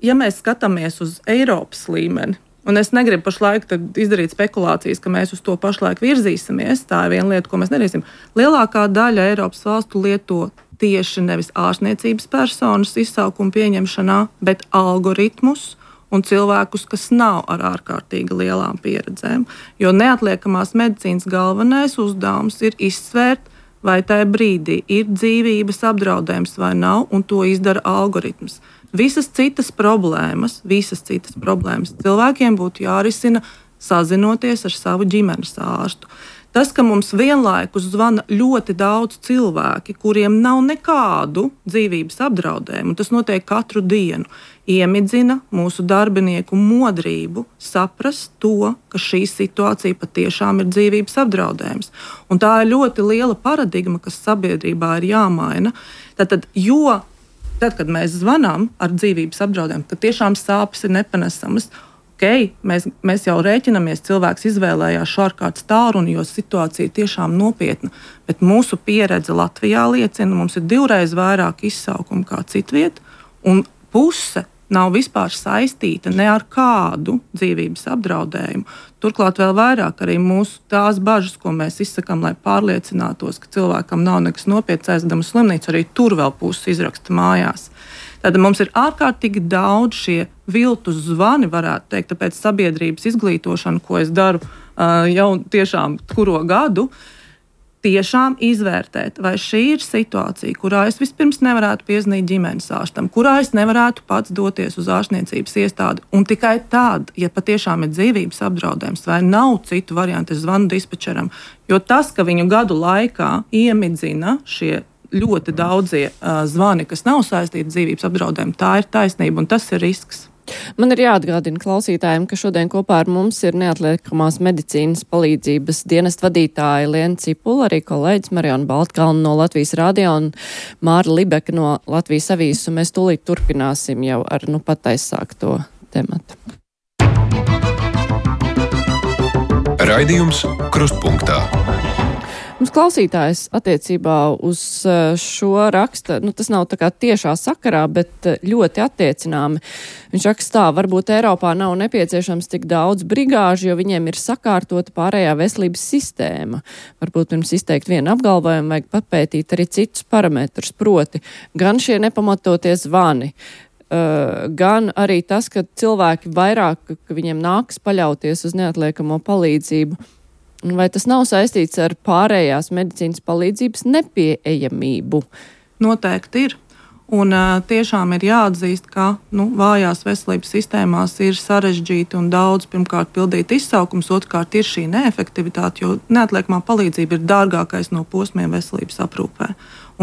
ja mēs skatāmies uz Eiropas līmeni, un es negribu pašlaik izdarīt spekulācijas, ka mēs uz to pašlaik virzīsimies, tā ir viena lieta, ko mēs nedarīsim. Lielākā daļa Eiropas valstu lieto tieši nevis ārstniecības personas izsaukumu pieņemšanā, bet algoritmus un cilvēkus, kas nav ar ārkārtīgi lielām pieredzēm. Jo neatliekamās medicīnas galvenais uzdevums ir izsvērt, vai tajā brīdī ir dzīvības apdraudējums vai nav, un to izdara algoritms. Visas citas problēmas, visas citas problēmas cilvēkiem būtu jārisina sazinoties ar savu ģimenes ārstu. Tas, ka mums vienlaikus zvana ļoti daudz cilvēki, kuriem nav nekādu dzīvības apdraudējumu, un tas notiek katru dienu, iemidzina mūsu darbinieku modrību saprast to, ka šī situācija patiešām ir dzīvības apdraudējums. Un tā ir ļoti liela paradigma, kas sabiedrībā ir jāmaina. Tātad, jo tad, kad mēs zvanām ar dzīvības apdraudējumu, tad tiešām sāpes ir nepanesamas. Okay, mēs, mēs jau rēķinamies, cilvēks izvēlējās šo ārkārtas tālruni, jo situācija ir tiešām nopietna. Bet mūsu pieredze Latvijā liecina, mums ir divreiz vairāk izsaukumu kā citviet, un puse nav vispār saistīta ne ar kādu dzīvības apdraudējumu. Turklāt vēl vairāk arī mūsu tās bažas, ko mēs izsakām, lai pārliecinātos, ka cilvēkam nav nekas nopietns aizdams slimnīcu, arī tur vēl puses izraksta mājās. Tad mums ir ārkārtīgi daudz šie viltus zvani, varētu teikt, tāpēc sabiedrības izglītošana, ko es daru uh, jau tiešām kuro gadu, tiešām izvērtēt, vai šī ir situācija, kurā es vispirms nevarētu piezvanīt ģimenes ārstam, kurā es nevarētu pats doties uz ārstniecības iestādi, un tikai tad, ja patiešām ir dzīvības apdraudējums vai nav citu variantu, es zvanu dispečeram, jo tas, ka viņu gadu laikā iemidzina šie ļoti daudzie uh, zvani, kas nav saistīti ar dzīvības apdraudējumu, tā ir taisnība un tas ir risks. Man ir jāatgādina klausītājiem, ka šodien kopā ar mums ir neatliekamās medicīnas palīdzības dienesta vadītāja Liena Cipula, arī kolēģis Mariona Baltkalna no Latvijas radio un Māra Libeka no Latvijas avīzes, un mēs tūlīt turpināsim jau ar nu pat aizsākto tematu. Raidījums Krustpunktā. Mums klausītājs attiecībā uz šo raksta, nu tas nav tā kā tiešā sakarā, bet ļoti attiecināmi. Viņš raksta tā, varbūt Eiropā nav nepieciešams tik daudz brigāžu, jo viņiem ir sakārtota pārējā veselības sistēma. Varbūt pirms izteikt vienu apgalvojumu vajag papētīt arī citus parametrus, proti gan šie nepamatotie zvani, uh, gan arī tas, ka cilvēki vairāk, ka viņiem nāks paļauties uz neatliekamo palīdzību. Vai tas nav saistīts ar pārējās medicīnas palīdzības nepieejamību? Noteikti ir. Un uh, tiešām ir jāatzīst, ka nu, vājās veselības sistēmās ir sarežģīti un daudz, pirmkārt, pildīt izsaukums, otrkārt ir šī neefektivitāte, jo neatliekamā palīdzība ir dārgākais no posmiem veselības aprūpē.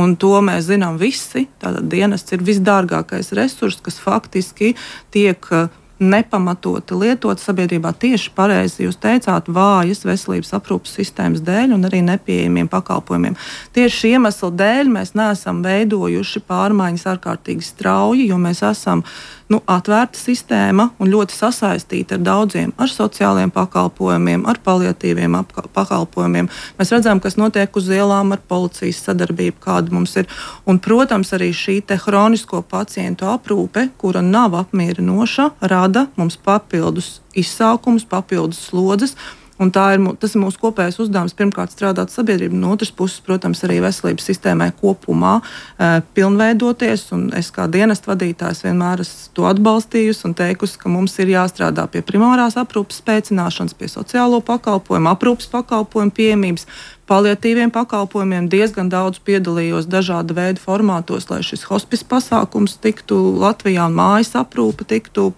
Un to mēs zinām visi. Tātad dienests ir visdārgākais resurs, kas faktiski tiek uh, nepamatoti lietot sabiedrībā tieši pareizi, jūs teicāt, vājas veselības aprūpas sistēmas dēļ un arī nepieejamiem pakalpojumiem. Tieši šī iemesla dēļ mēs neesam veidojuši pārmaiņas ārkārtīgi strauji, jo mēs esam nu, atvērta sistēma un ļoti sasaistīta ar daudziem, ar sociāliem pakalpojumiem, ar paliatīviem pakalpojumiem. Mēs redzam, kas notiek uz ielām ar policijas sadarbību, kāda mums ir. Un, protams, arī šī te hronisko pacientu aprūpe, kura nav apmierinoša, rada mums papildus izsaukums, papildus slodzes. Un tā ir, tas ir mūsu kopējais uzdevums, pirmkārt strādāt sabiedrību, no otras puses, protams, arī veselības sistēmai kopumā e, pilnveidoties, un es kā dienesta vadītājs vienmēr esmu to atbalstījusi un teikusi, ka mums ir jāstrādā pie primārās aprūpes spēcināšanas, pie sociālo pakalpojumu, aprūpes pakalpojumu pieejamības, paliatīviem pakalpojumiem. Diezgan daudz piedalījos dažāda veida formātos, lai šis hospice pasākums tiktu Latvijā un mājas aprūpe tiktu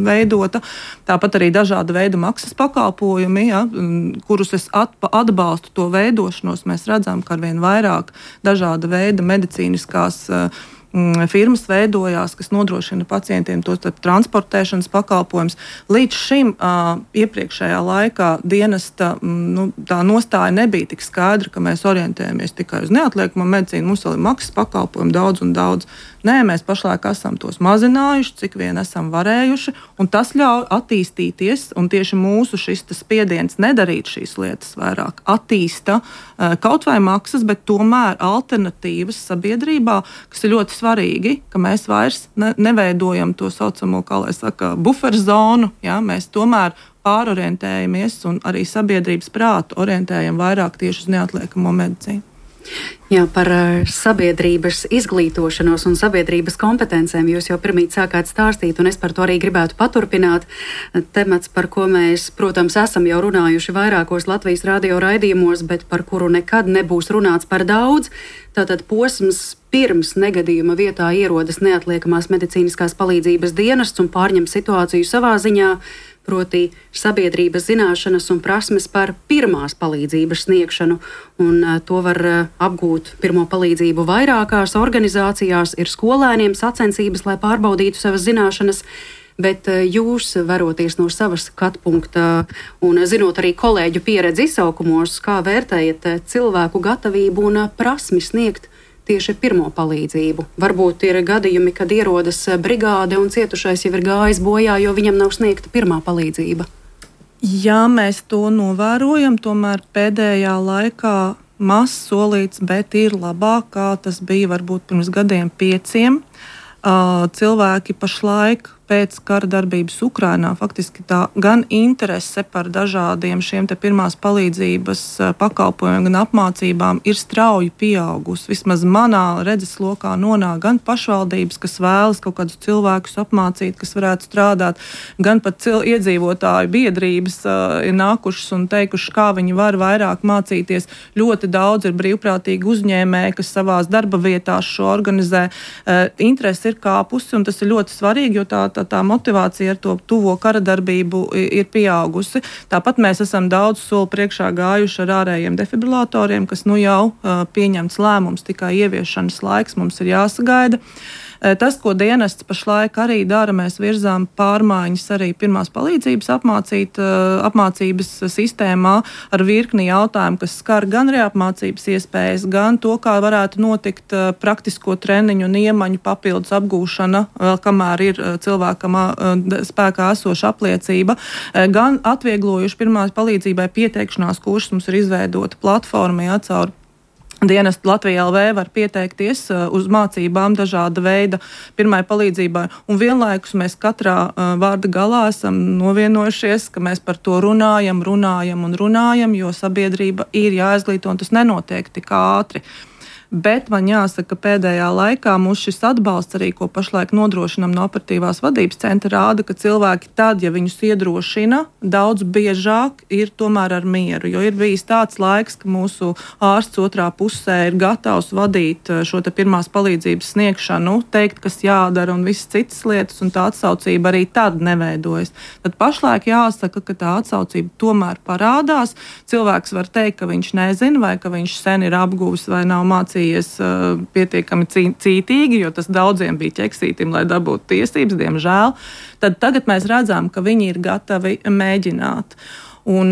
veidota. Tāpat arī dažāda veida maksas pakalpojumi, ja, kurus es atbalstu to veidošanos. Mēs redzam, ka arvien vairāk dažāda veida medicīniskās uh, firmas veidojās, kas nodrošina pacientiem tos transportēšanas pakalpojumus. Līdz šim uh, iepriekšējā laikā dienesta nu, tā nostāja nebija tik skaidra, ka mēs orientējamies tikai uz neatliekamo medicīnu. Mums vēl ir maksas pakalpojumi daudz un daudz. Nē, mēs pašlaik esam tos mazinājuši, cik vien esam varējuši, un tas ļauj attīstīties, un tieši mūsu šis spiediens nedarīt šīs lietas vairāk attīsta uh, kaut vai maksas, bet tomēr alternatīvas sabiedrībā, kas ir ļoti svarīgi, ka mēs vairs ne, neveidojam to saucamo, kā lai saka, buferzonu, ja, mēs tomēr pārorientējamies un arī sabiedrības prātu orientējam vairāk tieši uz neatliekamo medicīnu. Jā, par sabiedrības izglītošanos un sabiedrības kompetencēm jūs jau pirmīt sākāt stāstīt, un es par to arī gribētu paturpināt. Temats, par ko mēs, protams, esam jau runājuši vairākos Latvijas radio raidījumos, bet par kuru nekad nebūs runāts par daudz. Tātad posms pirms negadījuma vietā ierodas neatliekamās medicīniskās palīdzības dienests un pārņem situāciju savā ziņā, proti sabiedrības zināšanas un prasmes par pirmās palīdzības sniegšanu, un to var apgūt pirmo palīdzību vairākās organizācijās, ir skolēniem sacensības, lai pārbaudītu savas zināšanas, bet jūs, veroties no savas skatu punkta un zinot arī kolēģu pieredzi izsaukumos, kā vērtējat cilvēku gatavību un prasmi sniegt tieši pirmo palīdzību? Varbūt ir gadījumi, kad ierodas brigāde un cietušais jau ir gājis bojā, jo viņam nav sniegta pirmā palīdzība. Jā, mēs to novērojam, tomēr pēdējā laikā mazs solīts, bet ir labāk, kā tas bija varbūt pirms gadiem pieciem. Uh, cilvēki pašlaik pēc kara darbības Ukrainā faktiski tā gan interese par dažādiem šiem te pirmās palīdzības pakalpojumiem, gan apmācībām ir strauji pieaugusi. Vismaz manā redzeslokā nonāk gan pašvaldības, kas vēlas kaut kādus cilvēkus apmācīt, kas varētu strādāt, gan pat cil- iedzīvotāju biedrības uh, ir nākušas un teikuši, kā viņi var vairāk mācīties. Ļoti daudz ir brīvprātīgi uzņēmēji, kas savās darba vietās šo organizē. Uh, interese ir kāpusi, un tas ir ļoti svarīgi, jo tā Tā, tā motivācija ar to tuvo kara darbību ir pieaugusi. Tāpat mēs esam daudz soli priekšā gājuši ar ārējiem defibrilatoriem, kas nu jau uh, pieņemts lēmums, tikai ieviešanas laiks mums ir jāsagaida. Tas, ko dienests pašlaik arī dara, mēs virzām pārmaiņas arī pirmās palīdzības apmācīt, apmācības sistēmā ar virkni jautājumu, kas skar gan reapmācības iespējas, gan to, kā varētu notikt praktisko treniņu un iemaņu papildus apgūšana, vēl kamēr ir cilvēkam spēkā esoša apliecība, gan atvieglojuši pirmās palīdzībai pieteikšanās kursus. Mums ir izveidota platforma, jā, caur dienestu Latvijā L V var pieteikties uz mācībām dažāda veida pirmai palīdzībai, un vienlaikus mēs katrā vārda galā esam novienojušies, ka mēs par to runājam, runājam un runājam, jo sabiedrība ir jāizglīto, un tas nenotiek tik ātri. Bet man jāsaka, ka pēdējā laikā mums šis atbalsts arī, ko pašlaik nodrošinam no operatīvās vadības centra, rāda, ka cilvēki tad, ja viņus iedrošina, daudz biežāk ir tomēr ar mieru, jo ir bijis tāds laiks, ka mūsu ārsts otrā pusē ir gatavs vadīt šo te pirmās palīdzības sniegšanu, teikt, kas jādara un visas citas lietas, un tā atsaucība arī tad neveidojas. Tad pašlaik jāsaka, ka tā atsaucība tomēr parādās. Cilvēks var teikt, ka viņš nezina, vai ka viņš sen ir apguvis vai nav mācījis pietiekami cītīgi, jo tas daudziem bija ķeksītim, lai dabūtu tiesības, diemžēl. Tad tagad mēs redzam, ka viņi ir gatavi mēģināt. Un,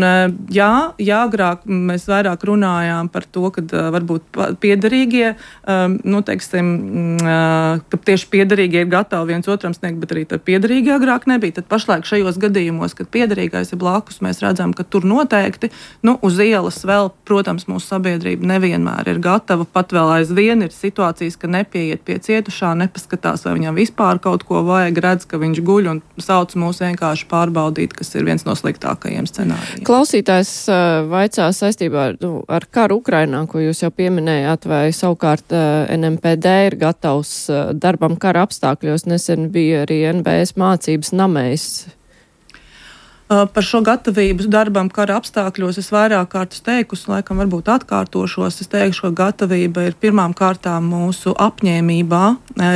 jā, jā, agrāk mēs vairāk runājām par to, ka varbūt piederīgie, nu, teiksim, ka tieši piederīgie ir gatavi viens otram sniegt, bet arī tad piederīgi agrāk nebija. Tad pašlaik šajos gadījumos, kad piederīgais ir blakus, mēs redzam, ka tur noteikti, nu, uz ielas vēl, protams, mūsu sabiedrība nevienmēr ir gatava, pat vēl aizvien ir situācijas, ka nepieiet pie cietušā, nepaskatās, vai viņam vispār kaut ko vajag, redz, ka viņš guļ un sauc mūs vienkārši pārbaudīt, kas ir viens no sliktākajiem scenārijiem. Klausītājs uh, vaicā saistībā ar, nu, ar karu Ukrainā, ko jūs jau pieminējāt, vai savukārt uh, N M P D ir gatavs uh, darbam kara apstākļos. Nesen bija arī N B S mācības namējs. Par šo gatavību darbam kara apstākļos es vairāk kārtas teikusi, laikam varbūt atkārtošos. Es teikšu, ka gatavība ir pirmām kārtām mūsu apņēmībā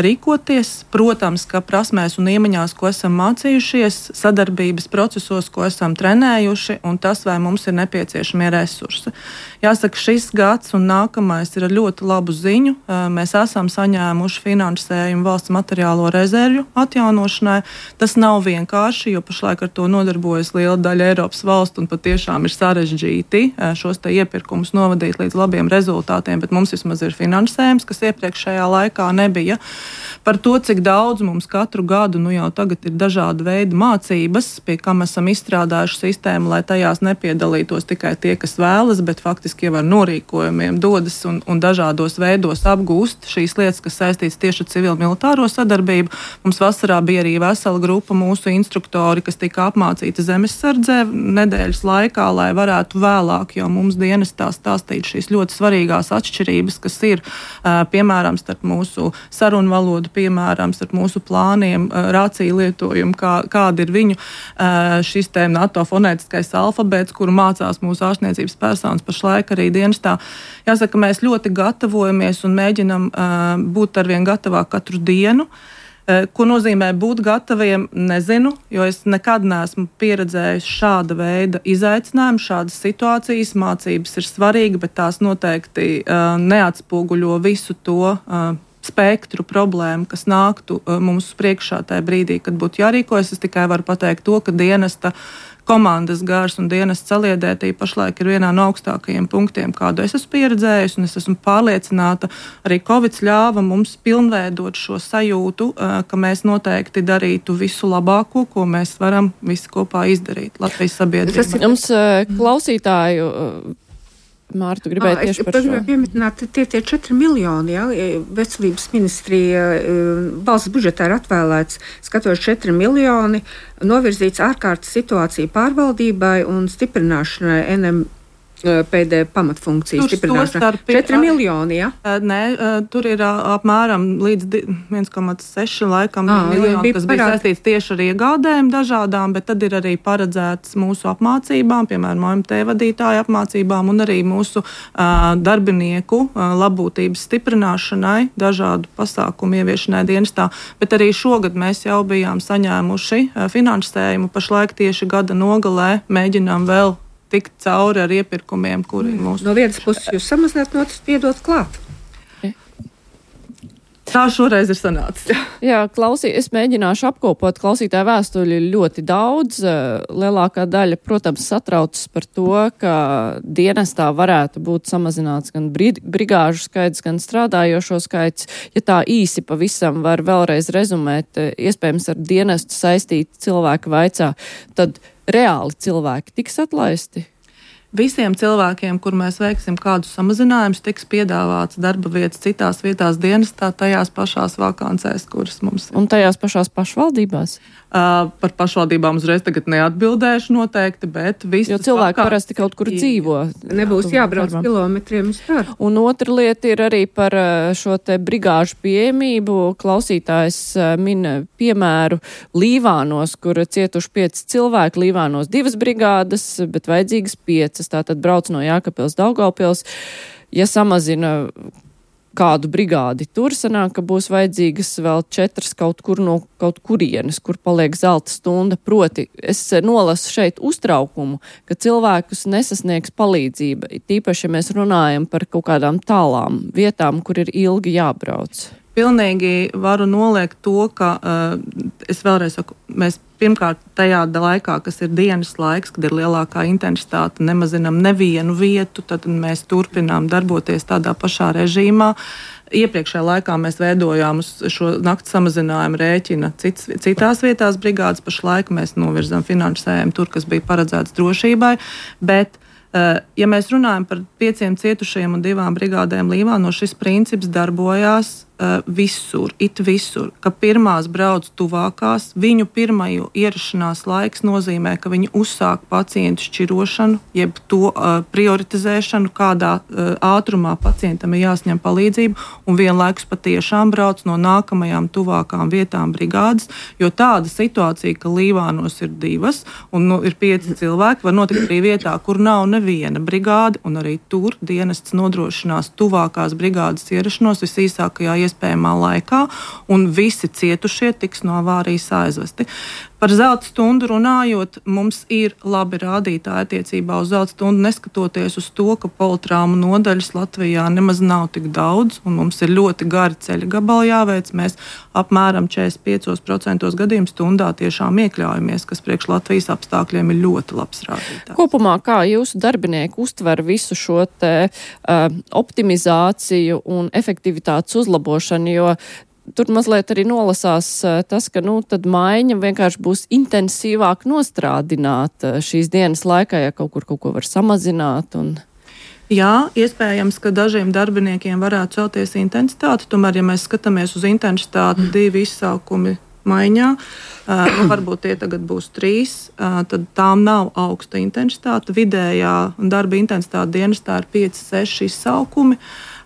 rīkoties. Protams, ka prasmēs un iemaņās, ko esam mācījušies, sadarbības procesos, ko esam trenējuši, un tas, vai mums ir nepieciešamie resursi. Jāsaka, šis gads un nākamais ir ar ļoti labu ziņu. Mēs esam saņēmuši finansējumu valsts materiālo rezervju atjaunošanai. Tas nav vienkārši, jo pašlaik ar to nodarbojas liela daļa Eiropas valstu un patiešām ir sarežģīti šos te iepirkumus novadīt līdz labiem rezultātiem, bet mums vismaz ir finansējums, kas iepriekšējā laikā nebija. Par to, cik daudz mums katru gadu, nu jau tagad ir dažādi veidi mācības, pie kam esam izstrādājuši sistēmu, lai tajās nepiedalītos tikai tie, kas vēlas, bet faktiski jau ar norīkojumiem dodas un, un dažādos veidos apgūst šīs lietas, kas saistīts tieši ar civil-militāro sadarbību. Mums vasarā bija arī vesela grupa mūsu instruktori, kas tika apmācīti zemesardzē nedēļas laikā, lai varētu vēlāk, jo mums dienestā stāstīt šīs ļoti svarīgās atšķirības, kas ir, piemēram, starp mūsu sarunu valodu, piemēram, starp mūsu plāniem, rāciju lietojumu, kā, kāda ir viņu šis te NATO fonētiskais alfabēts, kuru mācās mūsu ārstniecības personas pašlaik arī dienestā. Jāsaka, mēs ļoti gatavojamies un mēģinam būt arvien gatavāk katru dienu. Ko nozīmē būt gataviem, nezinu, jo es nekad neesmu pieredzējis šāda veida izaicinājumu, šādas situācijas. Mācības ir svarīga, bet tās noteikti uh, neatspoguļo visu to uh, spektru problēmu, kas nāktu uh, mums priekšā tajā brīdī, kad būtu jārīkojas. Es tikai varu pateikt to, ka dienesta komandas gars un dienas saliedētība pašlaik ir vienā no augstākajiem punktiem, kādu es esmu pieredzējis, un es esmu pārliecināta, arī Covid ļāva mums pilnveidot šo sajūtu, ka mēs noteikti darītu visu labāko, ko mēs varam visi kopā izdarīt Latvijas sabiedrībā. Jums klausītāju Mārtu gribēja à, tieši par šo. Es pieminēt, tie tie četri miljoni, ja, veselības ministrija valsts budžetā ir atvēlēts, skatos četri miljoni, novirzīts ārkārtas situāciju pārvaldībai un stiprināšanai N M P D pamatfunkcijas stiprināšanai. četri miljoni, ja? Nē, tur ir apmēram līdz viens komats seši laikam à, miljoni, kas bija saistīts tieši ar iegādēm dažādām, bet tad ir arī paredzēts mūsu apmācībām, piemēram, O M T vadītāju apmācībām un arī mūsu uh, darbinieku uh, labbūtības stiprināšanai, dažādu pasākumu ieviešanai dienestā, bet arī šogad mēs jau bijām saņēmuši uh, finansējumu, pašlaik tieši gada nogalē mēģinām vēl tikt cauri ar iepirkumiem, kuri mūsu... No vienas puses jūs samazināt, no otras piedot klāt. Tā šoreiz ir sanācis. Jā, klausī, es mēģināšu apkopot klausītāju vēstuļi ļoti daudz. Lielākā daļa, protams, satraucas par to, ka dienestā varētu būt samazināts gan brigāžu skaits, gan strādājošo skaits. Ja tā īsi pavisam var vēlreiz rezumēt, iespējams ar dienestu saistīti cilvēki vaicā, tad reāli cilvēki tiks atlaisti? Visiem cilvēkiem, kur mēs veiksim kādus samazinājumus, tiks piedāvāts darba vietas citās vietās dienestā, tajās pašās vakancēs, kuras mums ir. Un tajās pašās pašvaldībās? Uh, par pašvaldībām uzreiz tagad neatbildēšu noteikti, bet visi. Jo cilvēki parasti kaut kur dzīvo. Nebūs jābrauc darbam. Kilometriem uz darbu. Un otra lieta ir arī par šo te brigāžu pieejamību. Klausītājs min piemēru Līvānos, kur cietuši pieci cilvēki, Līvānos divas brigādes, bet vajadzīgas piecas. Tātad brauc no Jākapils Daugavpils. Ja samazina kādu brigādi tur, sanāk, ka būs vajadzīgas vēl četras kaut kur no kaut kurienes, kur paliek zelta stunda. Proti, es nolasu šeit uztraukumu, ka cilvēkus nesasniegs palīdzība. Tīpaši, ja mēs runājam par kaut kādām tālām vietām, kur ir ilgi jābrauc. Pilnīgi varu noliegt to, ka uh, es vēlreiz saku, mēs pirmkārt tajā laikā, kas ir dienas laiks, kad ir lielākā intensitāte, nemazinām nevienu vietu, tad mēs turpinām darboties tādā pašā režīmā. Iepriekšējā laikā mēs veidojām uz šo nakts samazinājumu rēķina cits, citās vietās brigādes, pašlaik mēs novirzām finansējumu tur, kas bija paredzēts drošībai, bet ja mēs runājam par pieciem cietušajiem un divām brigādēm Līvānos, šis princips darbojās uh, visur, it visur, ka pirmās brauc tuvākās, viņu pirmaju ierašanās laiks nozīmē, ka viņi uzsāk pacientu šķirošanu, jeb to uh, prioritizēšanu, kādā uh, ātrumā pacientam ir jāsņem palīdzību, un vienlaikus patiešām brauc no nākamajām tuvākām vietām brigādes, jo tāda situācija, ka Līvānos ir divas un nu, ir pieci cilvēki, var notikt arī vietā, kur nav ne viena brigāde, un arī tur dienests nodrošinās tuvākās brigādes ierašanos visīsākajā iespējamā laikā, un visi cietušie tiks no avārijas aizvesti. Par zelta stundu runājot, mums ir labi rādītāji attiecībā uz zelta stundu, neskatoties uz to, ka politraumu nodaļas Latvijā nemaz nav tik daudz, un mums ir ļoti gari ceļa gabali jāveic. Mēs apmēram četrdesmit piecos procentos gadījumu stundā tiešām iekļaujamies, kas priekš Latvijas apstākļiem ir ļoti labs rādītājs. Kopumā, kā jūsu darbinieki uztver visu šo te uh, optimizāciju un efektivitātes uzlabošanu, jo tur mazliet arī nolasās tas, ka nu, tad maiņa vienkārši būs intensīvāk nostrādināt šīs dienas laikā, ja kaut kur kaut ko var samazināt. Un... Jā, iespējams, ka dažiem darbiniekiem varētu celties intensitāte, tomēr, ja mēs skatāmies uz intensitāti mm. divi izsaukumi maiņā, uh, varbūt tie tagad būs trīs, uh, tad tām nav augsta intensitāte. Vidējā darba intensitāte dienestā ir pieci seši izsaukumi.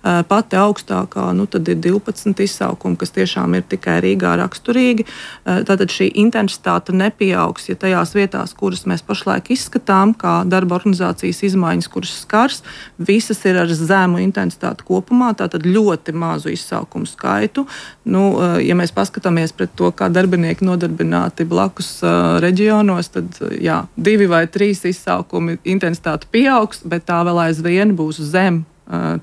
Pati augstākā, nu tad ir divpadsmit izsaukumi, kas tiešām ir tikai Rīgā raksturīgi. Tātad šī intensitāte nepieaugs, ja tajās vietās, kuras mēs pašlaik izskatām, kā darba organizācijas izmaiņas, kuras skars, visas ir ar zemu intensitāti kopumā, tātad ļoti mazu izsaukumu skaitu. Nu, ja mēs paskatāmies pret to, kā darbinieki nodarbināti blakus uh, reģionos, tad jā, divi vai trīs izsaukumi intensitāte pieaugs, bet tā vēl aizvien būs zem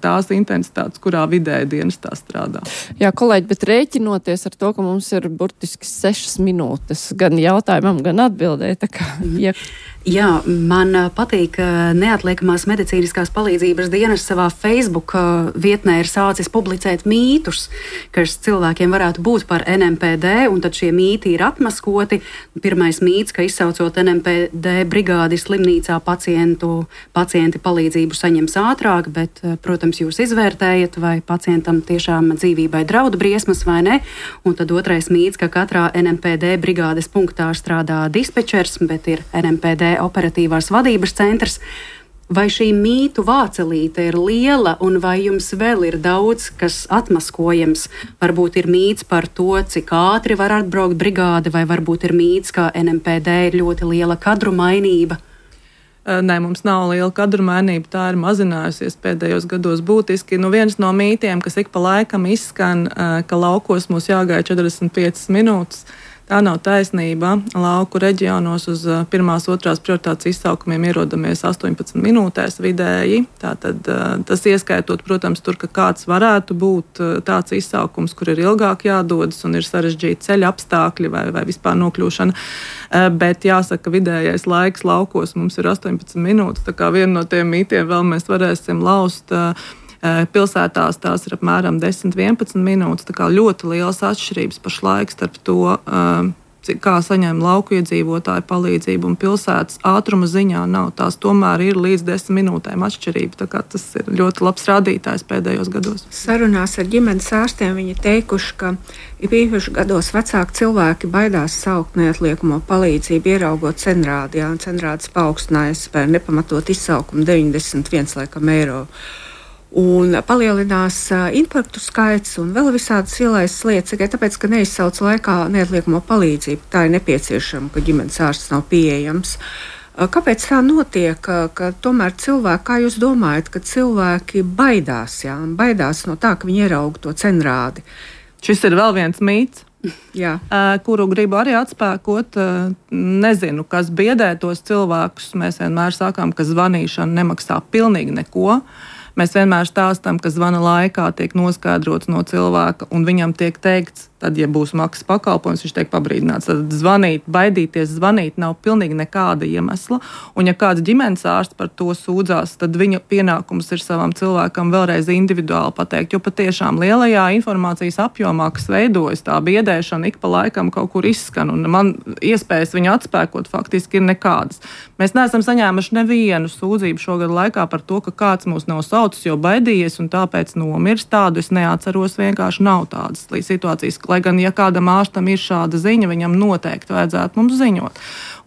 tās intensitātes, kurā vidēji dienestā strādā. Jā, kolēģi, bet rēķinoties ar to, ka mums ir burtiski sešas minūtes gan jautājumam, gan atbildē, tā kā, ja... Jā, man patīk, ka neatliekamās medicīniskās palīdzības dienas savā Facebook vietnē ir sācis publicēt mītus, kas cilvēkiem varētu būt par N M P D, un tad šie mīti ir atmaskoti. Pirmais mīts, ka izsaucot N M P D brigādi slimnīcā pacientu, pacienti palīdzību saņems ātrāk, bet, protams, jūs izvērtējat, vai pacientam tiešām dzīvībai draudu briesmas vai ne. Un tad otrais mīts, ka katrā N M P D brigādes punktā strādā dispečers, bet ir N M P D operatīvās vadības centrs. Vai šī mītu vācelīte ir liela, un vai jums vēl ir daudz, kas atmaskojams? Varbūt ir mīts par to, cik ātri var atbraukt brigāde, vai varbūt ir mīts, ka N M P D ir ļoti liela kadru mainība? Nē, mums nav liela kadru mainība, tā ir mazinājusies pēdējos gados būtiski. Nu, viens no mītiem, kas ik pa laikam izskan, ka laukos mums jāgaida četrdesmit piecas minūtes, Tā nav taisnība. Lauku reģionos uz pirmās, otrās prioritātes izsaukumiem ierodamies astoņpadsmit minūtēs vidēji. Tātad tas ieskaitot, protams, tur, ka kāds varētu būt tāds izsaukums, kur ir ilgāk jādodas un ir sarežģīti ceļa apstākļi vai, vai vispār nokļūšana. Bet jāsaka, vidējais laiks laukos mums ir astoņpadsmit minūtes, tā kā vienu no tiem mītiem vēl mēs varēsim laust. Pilsētās tās ir apmēram desmit līdz vienpadsmit minūtes, tā kā ļoti lielas atšķirības pašlaik starp to, kā saņem lauku iedzīvotāju palīdzību un pilsētas ātruma ziņā nav. Tās tomēr ir līdz desmit minūtēm atšķirība, tā kā tas ir ļoti labs rādītājs pēdējos gados. Sarunās ar ģimenes ārstiem viņi teikuši, ka īpaši gados vecāki cilvēki baidās saukt neatliekamo palīdzību, ieraugot cenrādi, jā, un cenrādes paaugstinājas par nepamatot izsaukumu deviņdesmit viens laikam eiro. Un palielinās uh, infarktu skaits un vēl visādas ielaistas lietas, tikai tāpēc, ka neizsauc laikā neatliekamo palīdzību. Tā ir nepieciešama, ka ģimenes ārsts nav pieejams. Uh, kāpēc tā notiek, ka, ka tomēr cilvēki, kā jūs domājat, ka cilvēki baidās, jā, baidās no tā, ka viņi ierauga to cenrādi? Šis ir vēl viens mīts. Jā. Kuru gribu arī atspēkot. Nezinu, kas biedē tos cilvēkus. Mēs vienmēr sakām, ka zvanīšana nemaksā pilnīgi neko. Mēs vienmēr stāstam, ka zvana laikā tiek noskaidrots no cilvēka, un viņam tiek teikts, tad, ja būs maksas pakalpojums, viņš tiek pabrīdināts. Tad zvanīt, baidīties zvanīt nav pilnīgi nekāda iemesla. Un ja kāds ģimenes ārsts par to sūdzās, tad viņa pienākums ir savam cilvēkam vēlreiz individuāli pateikt, jo patiešām lielajā informācijas apjomā, kas veidojas, tā biedēšana ik pa laikam kaut kur izskan, un man iespējas viņu atspēkot faktiski ir nekādas. Mēs neesam saņēmuši nevienu sūdzību šogad laikā par to, ka kāds mūs nav saucis, jo baidījies un tāpēc nomirs. Tādu es neatceros, vienkārši nav tādas situācijas. Lai gan, ja kādam ārstam ir šāda ziņa, viņam noteikti vajadzētu mums ziņot.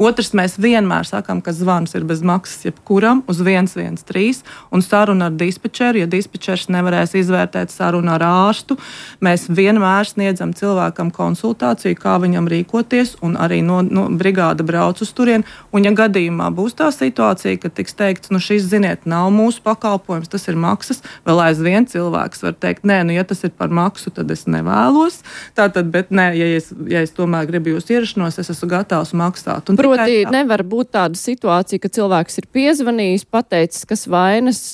Otrs, mēs vienmēr sakām, ka zvans ir bez maksas jebkuram uz viens viens trīs un saruna ar dispečeru. Ja dispečers nevarēs izvērtēt sarunu ar ārstu, mēs vienmēr sniedzam cilvēkam konsultāciju, kā viņam rīkoties, un arī no, no brigāda brauc uz turien. Un ja gadījumā būs tā situācija, ka tiks teikts, nu šis, ziniet, nav mūsu pakalpojums, tas ir maksas, vēl aizvien cilvēks var teikt, nē, nu ja tas ir par maksu, tad es nevēlos. Tātad, bet nē, ja es, ja es tomēr gribu jūs ierašanos, es esmu gatavs maksāt. Un Proti, nevar būt tāda situācija, ka cilvēks ir piezvanījis, pateicis, kas vainas,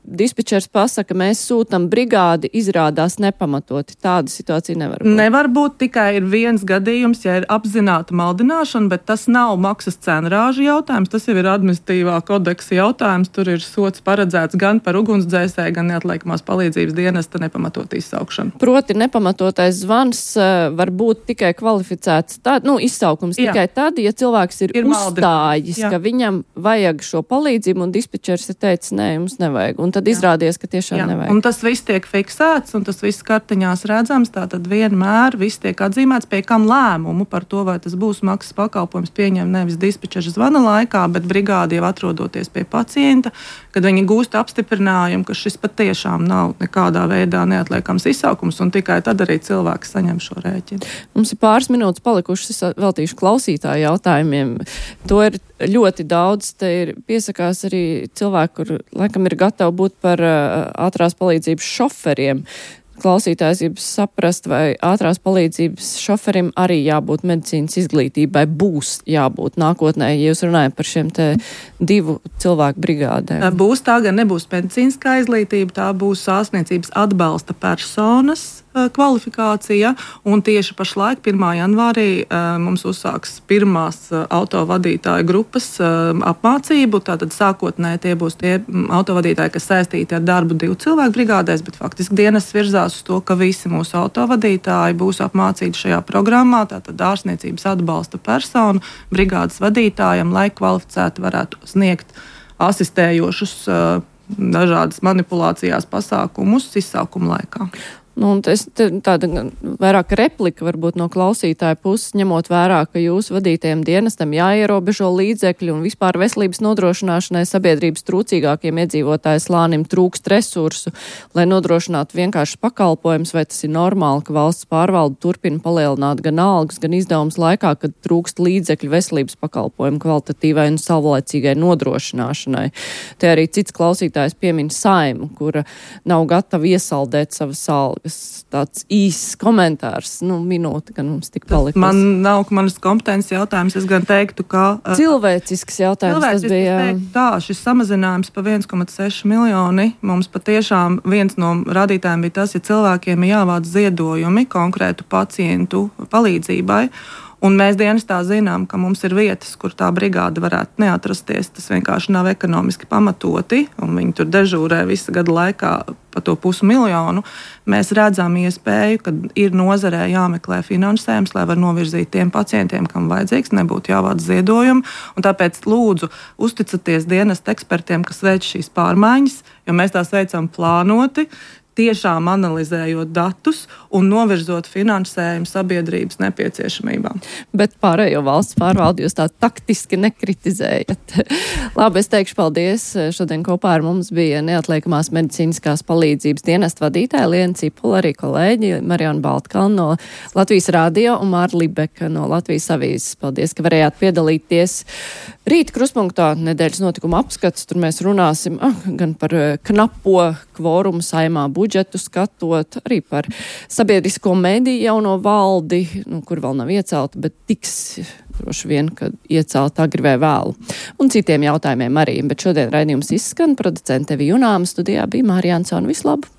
dispečers pasaka, mēs sūtam brigādi, izrādās nepamatoti. Tāda situācija nevar būt. Nevar būt, tikai ir viens gadījums, ja ir apzināta maldināšana, bet tas nav maksas cenrāžu jautājums, tas jau ir administratīvā kodeksa jautājums. Tur ir sots paredzēts gan par ugunsdzēsēju, gan neatliekamās palīdzības dienesta nepamatot izsaukšanu. Proti, nepamatotais zvans uh, var būt tikai kvalificēts, tā, nu, izsaukums Jā. tikai tad, ja cilvēks ir, ir uzstājis, Jā. ka viņam vajag šo palīdzību, un dispečers ir teicis, nē, jums nevajag. Un tad Jā. izrādies, ka tiešām Jā. nevajag. Un tas viss tiek fiksēts, un tas viss kartiņās redzams, tātad vienmēr viss tiek atzīmēts, pie kam lēmumu par to, vai tas būs maksas pakalpojums pieņem nevis dispečera zvana laikā, bet brigādi jau atrodoties pie pacienta, kad viņi gūst apstiprinājumu, ka šis patiešām nav nekādā veidā neatliekams izsaukums, un tikai tad arī cilvēks saņem šo rēķinu. Mums ir pāris minūtes palikušas, es veltīšu klausītāju jautājumiem. To ir ļoti daudz, te ir piesakās arī cilvēki, kur laikam ir gatavi būt par uh, ātrās palīdzības šoferiem. Klausītājs grib saprast, vai ātrās palīdzības šoferim arī jābūt medicīnas izglītībai, būs jābūt nākotnē, ja jūs runājat par šiem te divu cilvēku brigādēm. Būs, tā gan nebūs medicīniskā izglītība, tā būs ārstniecības atbalsta personas kvalifikācija, un tieši pašlaik pirmā janvārī mums uzsāks pirmās autovadītāju grupas apmācību. Tātad sākotnēji tie būs tie autovadītāji, kas saistīti ar darbu divu cilvēku brigādēs, bet faktiski dienas virzās uz to, ka visi mūsu autovadītāji būs apmācīti šajā programmā, tātad ārstniecības atbalsta personu brigādes vadītājiem, lai kvalificēti varētu sniegt asistējošus dažādas manipulācijās pasākumus izsaukuma laikā. Nu, es, tāda vairāk replika varbūt no klausītāja puses, ņemot vērā, ka jūsu vadītajiem dienestam jāierobežo līdzekļi un vispār veselības nodrošināšanai sabiedrības trūcīgākiem iedzīvotāju slānim trūkst resursu, lai nodrošinātu vienkārši pakalpojums, vai tas ir normāli, ka valsts pārvalde turpina palielināt gan algas, gan izdevumus laikā, kad trūkst līdzekļu veselības pakalpojumu kvalitatīvai un savlaicīgai nodrošināšanai. Te arī cits klausītājs piemin Saimu, kura nav gatava iesaldēt savas kas tāds īss komentārs, nu, minūte, gan mums tik palikusi. Man nav manas kompetences jautājums, es gan teiktu, ka... Cilvēcisks jautājums cilvēcisks, tas bija. Teiktu, tā, šis samazinājums pa viens komats seši miljoni, mums patiešām viens no rādītājiem bija tas, ja cilvēkiem ir jāvāc ziedojumi konkrētu pacientu palīdzībai, un mēs dienestā zinām, ka mums ir vietas, kur tā brigāde varētu neatrasties. Tas vienkārši nav ekonomiski pamatoti, un viņi tur dežūrē visu gadu laikā pa to pusmiljonu. Mēs redzam iespēju, ka ir nozarē jāmeklē finansējums, lai var novirzīt tiem pacientiem, kam vajadzīgs, nebūtu jāvāc ziedojumi. Un tāpēc lūdzu uzticaties dienesta ekspertiem, kas veic šīs pārmaiņas, jo mēs tās veicam plānoti, tiešām analizējot datus un novirzot finansējumu sabiedrības nepieciešamībām. Bet pārējo valsts pārvaldi jūs tā taktiski nekritizējat. Labi, es teikšu paldies. Šodien kopā ar mums bija neatliekamās medicīniskās palīdzības dienesta vadītāja Liena Cipula, arī kolēģi Mariona Baltkalna no Latvijas radio un Māra Libeka no Latvijas avīzes. Paldies, ka varējāt piedalīties. Rīt Krustpunktā nedēļas notikuma apskats. Tur mēs runāsim ah, gan par knapo kvorumu saimā budžetu skatot, arī par sabiedrisko mediju jauno valdi, nu, kur vēl nav iecelta, bet tiks droši vien, kad iecelta agri vai vēlu. Un citiem jautājumiem arī. Bet šodien raidījums izskan. Producente Evija Junāma, studijā bija Mārija Ansona. Vislabāk!